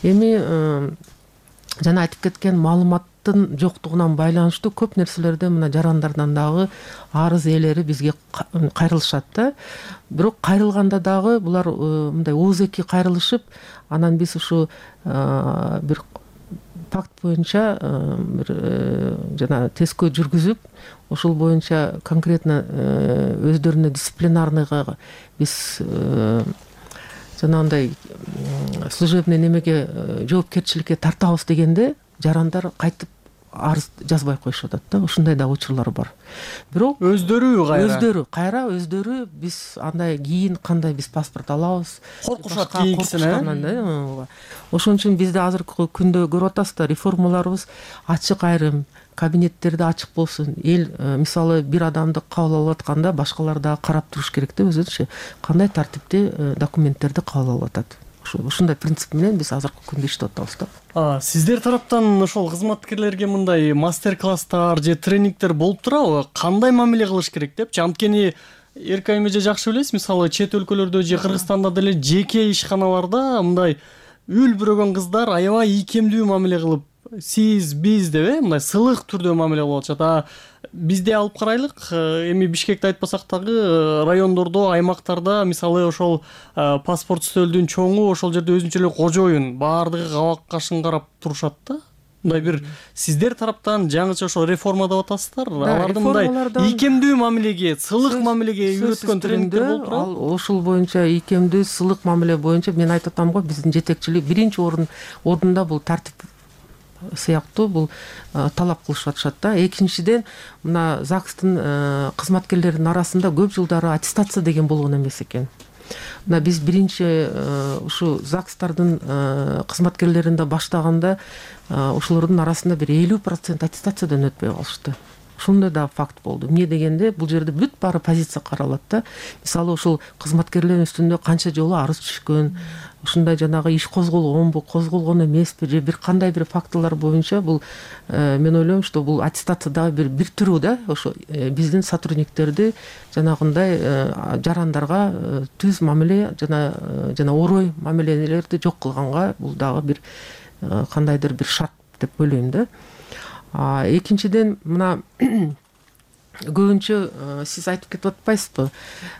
Эми жана айтып кеткен маалыматтын жоктугунан байланыштуу көп нерселерде мына жарандардан дагы арыз ээлери бизге кайрылышат да. Бирок кайрылганда дагы булар мындай ооз-эки кайрылышып, анан биз ушу бир факт боюнча бир жана тескөө жүргүзүп, ошол боюнча конкретно өздөрүнө дисциплинарныйга биз жанагындай служебный немеге жоопкерчиликке тартабыз дегенде жарандар кайтып арыз жазбай коюшуп атат да. Ушундай да учурлар бар. Бирок өздөрү биз андай кийин кандай биз паспорт алабыз, коркушат кийинкисине. Ошон үчүн бизде азыркы күндө көрүп атасыздар, реформаларыбыз ачык, айрым кабинеттерде ачык болсун. Эл мисалы бир адамды кабыл алып атканда башкалар дагы карап туруш керек да, өзүнчө кандай тартипте документтерди кабыл алып атат. Ушундай принцип менен биз азыркы күндө иштеп атабыз да. Сиздер тараптан ошол кызматкерлерге мындай мастер-класстар же тренингдер болуп турабы? Кандай мамиле кылыш керек депчи? Анткени эркек айым эже жакшы билесиз, мисалы чет өлкөлөрдө же Кыргызстанда деле жеке ишканаларда мындай үл бүрөгөн кыздар аябай ийкемдүү мамиле кылып, сиз, биз деп мындай сылык түрдө мамиле кылып атышат. Бизде алып карайлык, эми Бишкекти айтпасак дагы райондордо, аймактарда мисалы ошол паспорт стөлдүн чоңу ошол жерде өзүнчө эле кожоюн, баардыгы кабак кашын карап турушат да. Мындай бир сиздер тараптан жаңыча ошол реформа деп атасыздар, аларды мындай ийкемдүү мамилеге, сылык мамилеге үйрөткөн тренингдер болуп турабы? Ошол боюнча ийкемдүү сылык мамиле боюнча мен айтып атам го, биздин жетекчилик биринчи ордунда бул тартип сыяктуу бул талап кылышып атышат да. Экинчиден мына ЗАГСтын кызматкерлеринин арасында көп жылдары аттестация деген болгон эмес экен. Мына биз биринчи ушу ЗАГСтардын кызматкерлеринде баштаганда ошолордун арасында бир 50% аттестациядан өтпөй калышты. Ушундай да факт болду. Эмне дегенде бул жерде бүт баары позиция каралат да. Мисалы ошол кызматкерлердин үстүндө канча жолу арыз түшкөн, ушундай жанагы иш козголгонбу, козголгон эмеспи же бир кандай бир фактылар боюнча бул мен ойлойм, что бул аттестация дагы бир түрү да. Ошо биздин сотрудниктерди жанагындай жарандарга түз мамиле жана орой мамилелерди жок кылганга бул дагы бир кандайдыр бир шарт деп ойлойм да. Экинчиден мына көбүнчө сиз айтып кетип атпайсызбы,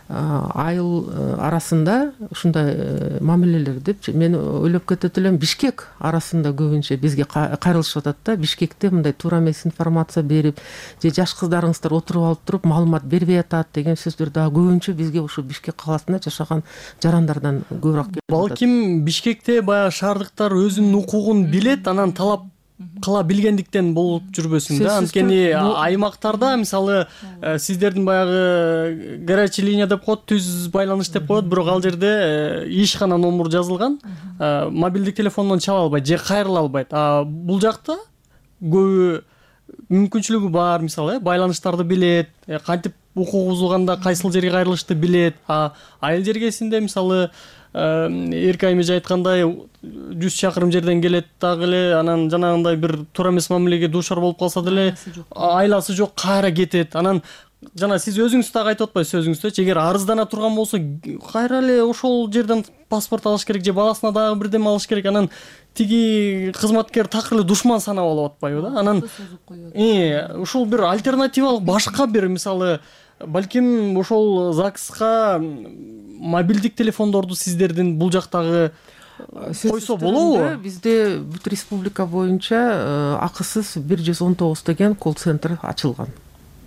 айыл арасында ушундай мамилелер депчи. Мен ойлоп кетет элем, Бишкек арасында көбүнчө бизге кайрылышып атат да. Бишкекте мындай туура эмес информация берип, же жаш кыздарыңыздар отуруп алып туруп маалымат бербей атат деген сөздөр дагы көбүнчө бизге ушу Бишкек каласында жашаган жарандардан көбүрөөк келип атат. Балким Бишкекте баягы шаардыктар өзүнүн укугун билет, анан талап кыла билгендиктен болуп жүрбөсүн да. Анткени аймактарда мисалы сиздердин баягы горячий линия деп коет, түз байланыш деп коет, бирок ал жерде ишкана номер жазылган, мобилдик телефондон чала албайт же кайрыла албайт. Бул жакта көбү мүмкүнчүлүгү бар, мисалы байланыштарды билет, кантип укук бузулганда кайсыл жерге кайрылышты билет. Айыл жергесинде мисалы Эркай эже айткандай 100 чакырым жерден келет дагы эле, анан жанагындай бир туура эмес мамилеге дуушар болуп калса деле айласы жок кайра кетет. Анан жана сиз өзүңүз дагы айтып атпайсыз сөзүңүздө, эгер арыздана турган болсо кайра эле ошол жерден паспорт алыш керек же баласына дагы бирдеме алыш керек. Анан тиги кызматкер такыр эле душман санап алып атпайбы да. Анан ушул бир альтернативалык башка бир мисалы балким ошол ЗАГСка мобилдик телефондорду сиздердин бул жактагы койсо болобу? Бизде бүт республика боюнча акысыз 119 деген колл-центр ачылган.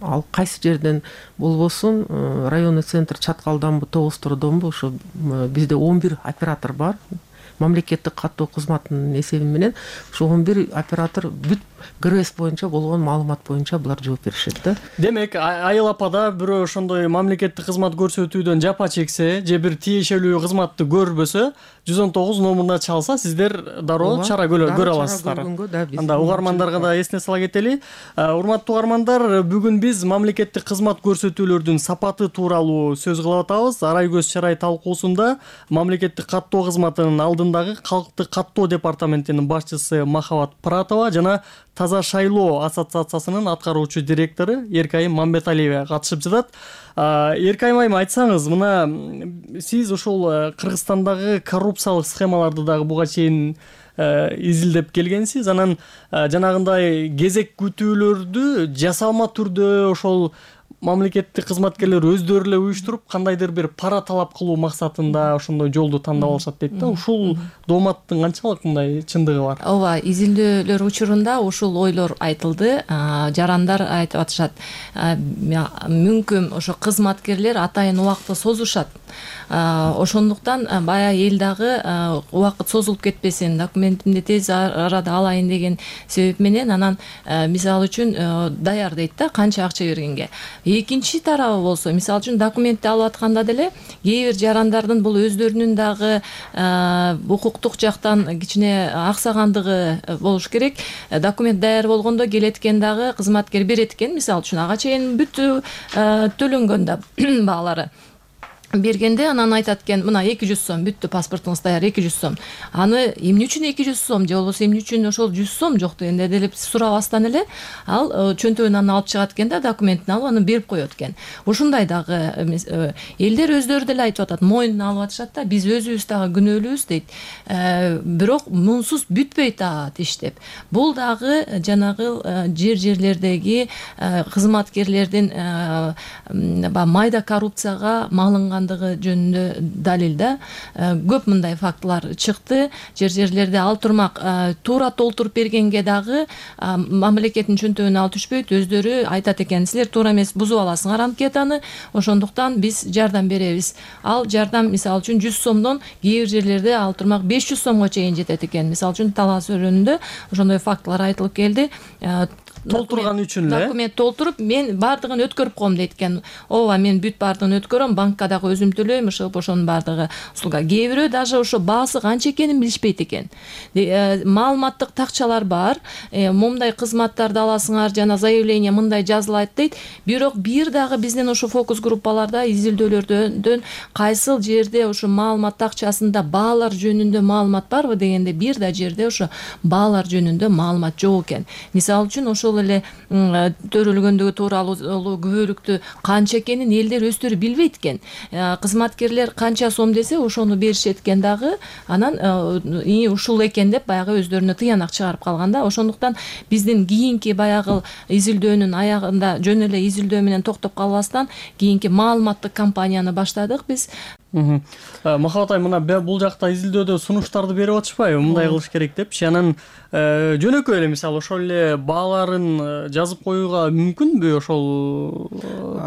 Ал кайсы жерден болбосун, районный центр Чаткалданбы, Тобостордонбу, ошо бизде 11 оператор бар. Мамлекеттик каттоо кызматынын эсеби менен ошо 11 оператор бүт ГРС боюнча болгон маалымат боюнча булар жооп беришет да. Демек, айыл апада бирөө ошондой мамлекеттик кызмат көрсөтүүдөн жапа чексе же бир тиешелүү кызматты көрбөсө, 119 номуруна чалса, сиздер дароо чара көрө аласыздар. Анда угармандарга да эсине сала кетели. Урматтуу угармандар, бүгүн биз мамлекеттик кызмат көрсөтүүлөрдүн сапаты тууралуу сөз кылып атабыз. Арай көз чарай талкуусунда мамлекеттик каттоо кызматынын алдындагы калктык каттоо департаментинин башчысы Махабат Пыратова жана Таза шайлоо ассоциациясынын аткаруучу директору Эркайым Мамбеталиева катышып жатат. Эркайым айым, айтсаңыз, мына сиз ошол Кыргызстандагы коррупциялык схемаларды дагы буга чейин изилдеп келгенсиз. Анан жанагындай кезек күтүүлөрдү жасалма түрдө ошол мамлекеттик кызматкерлер өздөрү эле уюштуруп кандайдыр бир пара талап кылуу максатында ошондой жолду тандап алышат дейт да. Ушул дооматтын канчалык мындай чындыгы бар? Ооба, изилдөөлөр учурунда ушул ойлор айтылды. Жарандар айтып атышат, мүмкүн ошо кызматкерлер атайын убакытты созушат. Ошондуктан бая эл дагы убакыт созулуп кетпесин, документимди тез арада алайын деген себеп менен анан мисалы үчүн даяр дейт да, канча акча бергенге. Экинчи тарабы болсо, мисалы үчүн документти алып атканда деле кээ бир жарандардын бул өздөрүнүн дагы укуктук жактан кичине аксагандыгы болуш керек. Документ даяр болгондо келет экен дагы кызматкер берет экен, мисалы үчүн ага чейин бүт төлөнгөн да баалары бергенде анан айтат экен, мына 200 сом бүттү, паспортуңуз даяр 200 сом. Аны эмне үчүн 200 сом же болбосо эмне үчүн ошол 100 сом жок дегенде делип сурабастан эле ал чөнтөгүнөн алып чыгат экен да, документин алып аны берип коет экен. Ушундай дагы элдер өздөрү деле айтып атат, мойнуна алып атышат да, биз өзүбүз дагы күнөөлүүбүз дейт. Бирок мунсуз бүтпөйт иш деп. Бул дагы жанагы жерлердеги кызматкерлердин майда коррупцияга малынган жөнүндө далил да. Көп мындай фактылар чыкты. Жерлерде ал турмак туура толтуруп бергенге дагы мамлекеттин чөнтөгүнө ал түшпөйт. Өздөрү айтат экен, силер туура эмес бузуп аласыңар анкетаны, ошондуктан биз жардам беребиз. Ал жардам мисалы үчүн 100 сомдон кээ бир жерлерде ал турмак 500 сомго чейин жетет экен. Мисалы үчүн Талас өрөөнүндө ошондой фактылар айтылып келди. Толтурган үчүн эле документ толтуруп, мен бардыгын өткөрүп коем дейт экен. Ооба, мен бүт бардыгын өткөрөм, банкка дагы өзүм төлөйм, ошонун бардыгы услуга. Кээ бирөө даже ошо баасы канча экенин билишпейт экен. Маалыматтык такчалар бар. Мындай кызматтарды аласыңар, жана заявление мындай жазылат дейт. Бирок бир дагы биздин ошо фокус группаларда изилдөөлөрдөн кайсыл жерде ошо маалымат такчасында баалар жөнүндө маалымат барбы дегенде бир да жерде ошо баалар жөнүндө маалымат жок экен. Мисалы үчүн ошол эле төрөлгөндүгү тууралуу күбөлүктү канча экенин элдер өздөрү билбейт экен. Кызматкерлер канча сом десе ошону беришет экен дагы, анан ушул экен деп баягы өздөрүнө тыянак чыгарып калганда. Ошондуктан биздин кийинки баягы изилдөөнүн аягында жөн эле изилдөө менен токтоп калбастан кийинки маалыматтык кампанияны баштадык биз. Махабат айым, мына бул жакта изилдөөдө сунуштарды берип атышпайбы, мындай кылыш керек депчи. Анан жөнөкөй эле мисалы ошол эле бааларын жазып коюуга мүмкүнбү ошол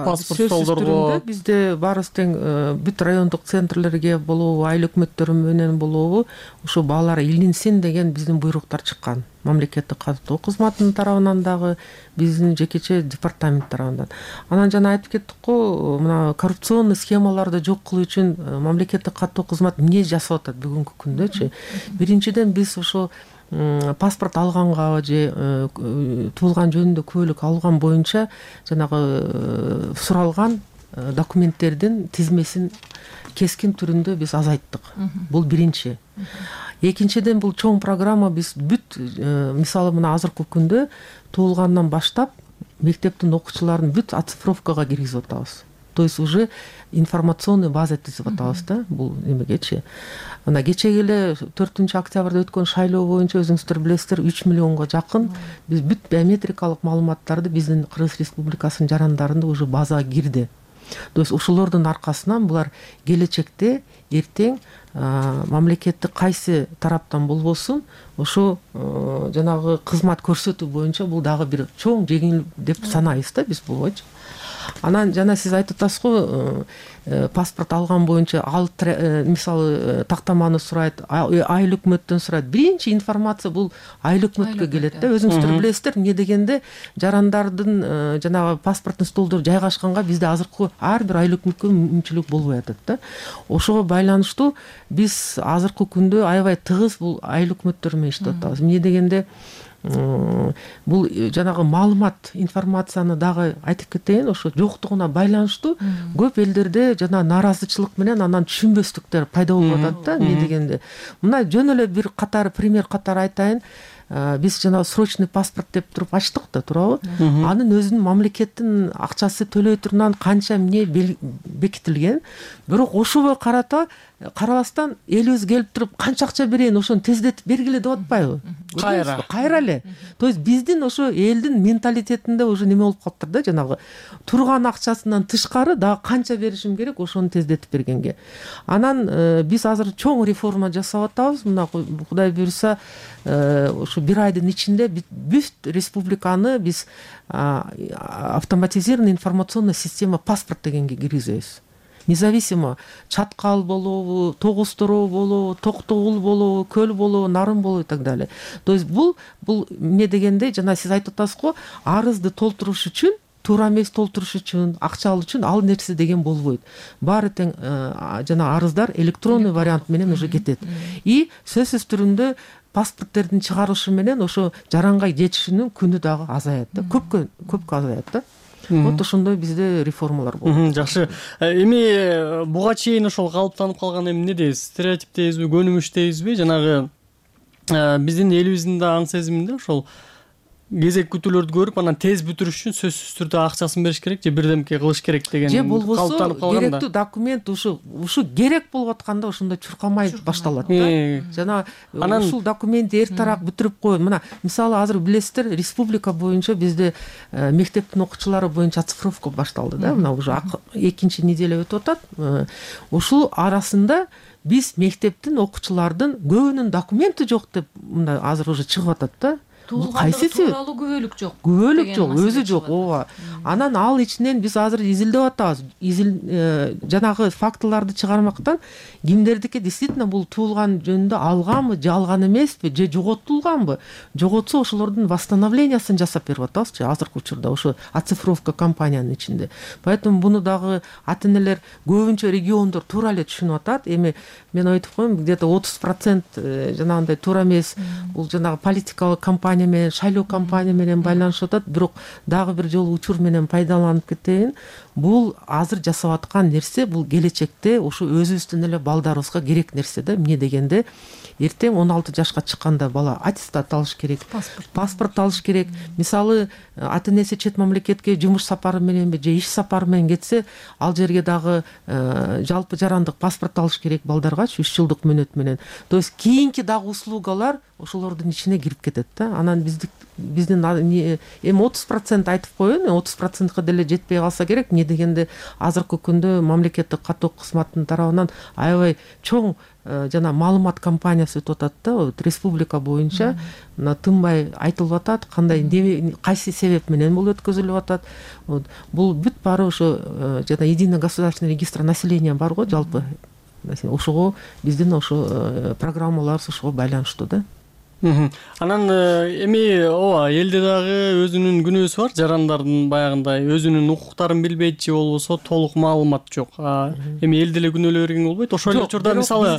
паспорт столдорго? Бизде баарыбыз тең бүт райондук центрлерге болобу, айыл өкмөттөрү менен болобу ошо баалар илинсин деген биздин буйруктар чыккан. мамлекеттик каттоо кызматынын тарабынан дагы, биздин жекече департамент тарабынан. Анан жана айтып кеттик го, мына коррупционный схемаларды жок кылуу үчүн мамлекеттик каттоо кызмат эмне жасап атат бүгүнкү күндөчү? Биринчиден биз ошо паспорт алганга же туулган жөнүндө куәлик алган боюнча жанагы суралган документтердин тизмесин кескин түрүндө биз азайттык. Бул биринчи. Экинчиден, бул чоң программа, биз бүт мисалы мына азыркы күндө туулгандан баштап мектептин окуучуларын бүт оцифровкага киргизип атабыз. То есть уже информационный база түзүп атабыз да, бул эмегечи. Мына кечеги эле 4-октябрда өткөн шайлоо боюнча өзүңүздөр билесиздер, 3 миллионго жакын биз бүт биометрикалык маалыматтарды биздин Кыргыз Республикасынын жарандарында уже базага кирди. То есть ошолордун аркасынан булар келечекте эртең мамлекеттик кайсы тараптан болбосун ошо жанагы кызмат көрсөтүү боюнча бул дагы бир чоң жеңил деп санайбыз да биз булчу. Анан жана сиз айтып атасыз го, паспорт алган боюнча ал мисалы тактаманы сурайт, айыл өкмөттөн сурайт. Биринчи информация бул айыл өкмөткө келет да. Өзүңүздөр билесиздер, эмне дегенде жарандардын жанагы паспорттун столдору жайгашканга бизде азыркы ар бир айыл өкмөткө мүмкүнчүлүк болбой атат да. Ошого байланыштуу биз азыркы күндө аябай тыгыз бул айыл өкмөттөр менен иштеп атабыз. Эмне дегенде бул жанагы маалымат, информацияны дагы айтып кетейин, ошо жоктугуна байланыштуу көп элдерде жана нааразычылык менен анан түшүнбөстүктөр пайда болуп атат да. Эмне дегенде мына жөн эле бир катар пример катары айтайын. Биз жана срочный паспорт деп туруп ачтык да, туурабы? Анын өзүнүн мамлекеттин акчасы төлөй турган канча эмне бекитилген. Бирок ошого карабастан элибиз келип туруп канча акча берейин, ошону тездетип бергиле деп атпайбы? Кайра эле. То есть биздин ошо элдин менталитетинде уже неме болуп калыптыр да, жанагы турган акчасынан тышкары дагы канча беришим керек, ошону тездетип бергенге. Анан биз азыр чоң реформа жасап атабыз. Мына Кудай буйруса ошо бир айдын ичинде бүт республиканы биз автоматизированный информационная система паспорт дегенге киргизебиз. Независимо Чаткал болобу, Тогустороо болобу, Токтогул болобу, Көл болобу, Нарын болобу и так далее. То есть бул эмне дегенде жана сиз айтып атасыз го, арызды толтуруш үчүн, туура эмес толтуруш үчүн, акча алуу үчүн ал нерсе деген болбойт. Баары тең жана арыздар электронный вариант менен уже кетет. И сөзсүз түрүндө паспорттердин чыгарышы менен ошо жаранга жетишинин күнү дагы азаят да. Көпкө азаят да. Вот ошондой бизде реформалар болду. Жакшы. Эми буга чейин ошол калыптанып калган эмне дейбиз? Стереотип дейбизби, көнүмүш дейбизби? Жанагы биздин элибиздин да аң сезиминде ошол кезек күтүүлөрдү көрүп, анан тез бүтүрүш үчүн сөзсүз түрдө акчасын бериш керек же бирдемке кылыш керек деген же болбосо керектүү документ ушу керек болуп атканда ошондо чуркамай башталат да. Жана ушул документти эртараак бүтүрүп коюн. Мына мисалы азыр билесиздер, республика боюнча бизде мектептин окуучулары боюнча оцифровка башталды да. Мына уже экинчи неделя өтүп атат. Ушул арасында биз мектептин окуучулардын көбүнүн документи жок деп мында азыр уже чыгып атат да. Кайсы тууралуу күбөлүк жок. Күбөлүк жок, өзү жок. Ооба. Анан ал ичинен биз азыр изилдеп атабыз. Жанагы фактыларды чыгармактан кимдердики действительно бул туулган жөнүндө алганбы, же алган эмеспи, же жоготулганбы? Жоготсо ошолордун восстановлениясын жасап берип атабыз азыркы учурда ошо оцифровка компаниянын ичинде. Поэтому буну дагы ата-энелер көбүнчө региондор туура эле түшүнүп атат. Эми мен айтып коем, где-то 30% жанагындай туура эмес, бул жанагы политикалык компания менен, шайлоо компания менен байланышып атат. Бирок дагы бир жолу учур менен пайдаланып кетейин. Бул азыр жасап аткан нерсе, бул келечекте ошо өзүбүздүн эле балдарыбызга керек нерсе да. Эмне дегенде эртең 16 жашка чыкканда бала аттестат алыш керек, паспорт алыш керек. Мисалы ата-энеси чет мамлекетке жумуш сапары мененби же иш сапары менен кетсе, ал жерге дагы жалпы жарандык паспорт алыш керек балдаргачы 3 жылдык мөөнөт менен. То есть кийинки дагы услугалар ошолордун ичине кирип кетет да. Анан биздин эми 30% айтып коеюн, 30%га деле жетпей калса керек. Эмне дегенде азыркы күндө мамлекеттик каттоо кызматынын тарабынан аябай чоң жана маалымат компаниясы өтүп атат да. Республика боюнча мына тынбай айтылып атат, кандай кайсы себеп менен бул өткөзүлүп атат. Бул бүт баары ошо жана единый государственный регистр населения бар го жалпы. Ошого биздин ошо программаларыбыз ошого байланыштуу да. Анан эми ооба элде дагы өзүнүн күнөөсү бар, жарандардын баягындай өзүнүн укуктарын билбейт же болбосо толук маалымат жок. Эми элде эле күнөөлөй бергенге болбойт. Ошол эле учурда мисалы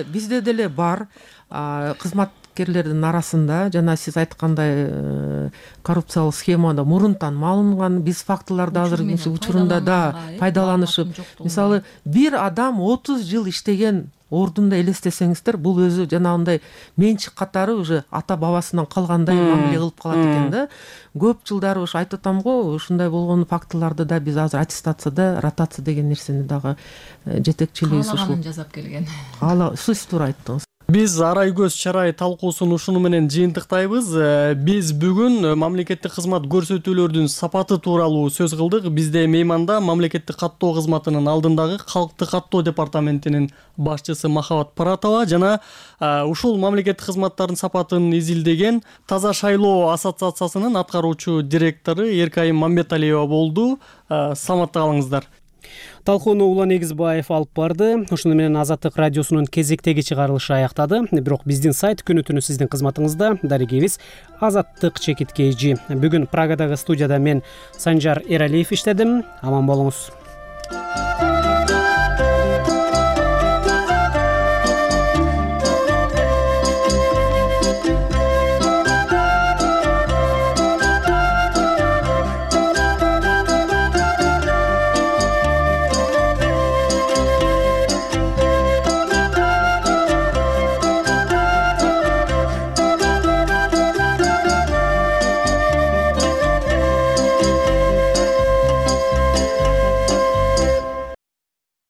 бизде деле бар кызматкерлердин арасында жана сиз айткандай коррупциялык схемада мурунтан маалынган, биз фактыларды азыр учурунда да пайдаланышып, мисалы бир адам 30 жыл иштеген ордунда элестесеңиздер, бул өзү жанагындай менчик катары уже ата бабасынан калгандай мамиле кылып калат экен да. Көп жылдары ушу айтып атам го, ушундай болгон фактыларды да биз азыр аттестацияда ротация деген нерсени дагы жетекчилигибиз ушул жасап келген. Сиз туура айттыңыз. Биз арай көз чарай талкуусун ушуну менен жыйынтыктайбыз. Биз бүгүн мамлекеттик кызмат көрсөтүүлөрдүн сапаты тууралуу сөз кылдык. Бизде мейманда мамлекеттик каттоо кызматынын алдындагы калкты каттоо департаментинин башчысы Махабат Паратова жана ушул мамлекеттик кызматтардын сапатын изилдеген Таза шайлоо ассоциациясынын аткаруучу директору Эркайым Мамбеталиева болду. Саламатта калыңыздар. Талкууну Улан Эгизбаев алып барды. Ошону менен Азаттык радиосунун кезектеги чыгарылышы аяктады. Бирок биздин сайт күнү-түнү сиздин кызматыңызда. Дарегебиз Азаттык чекит KG. Бүгүн Прагадагы студияда мен Санжар Эралиев иштедим. Аман болуңуз.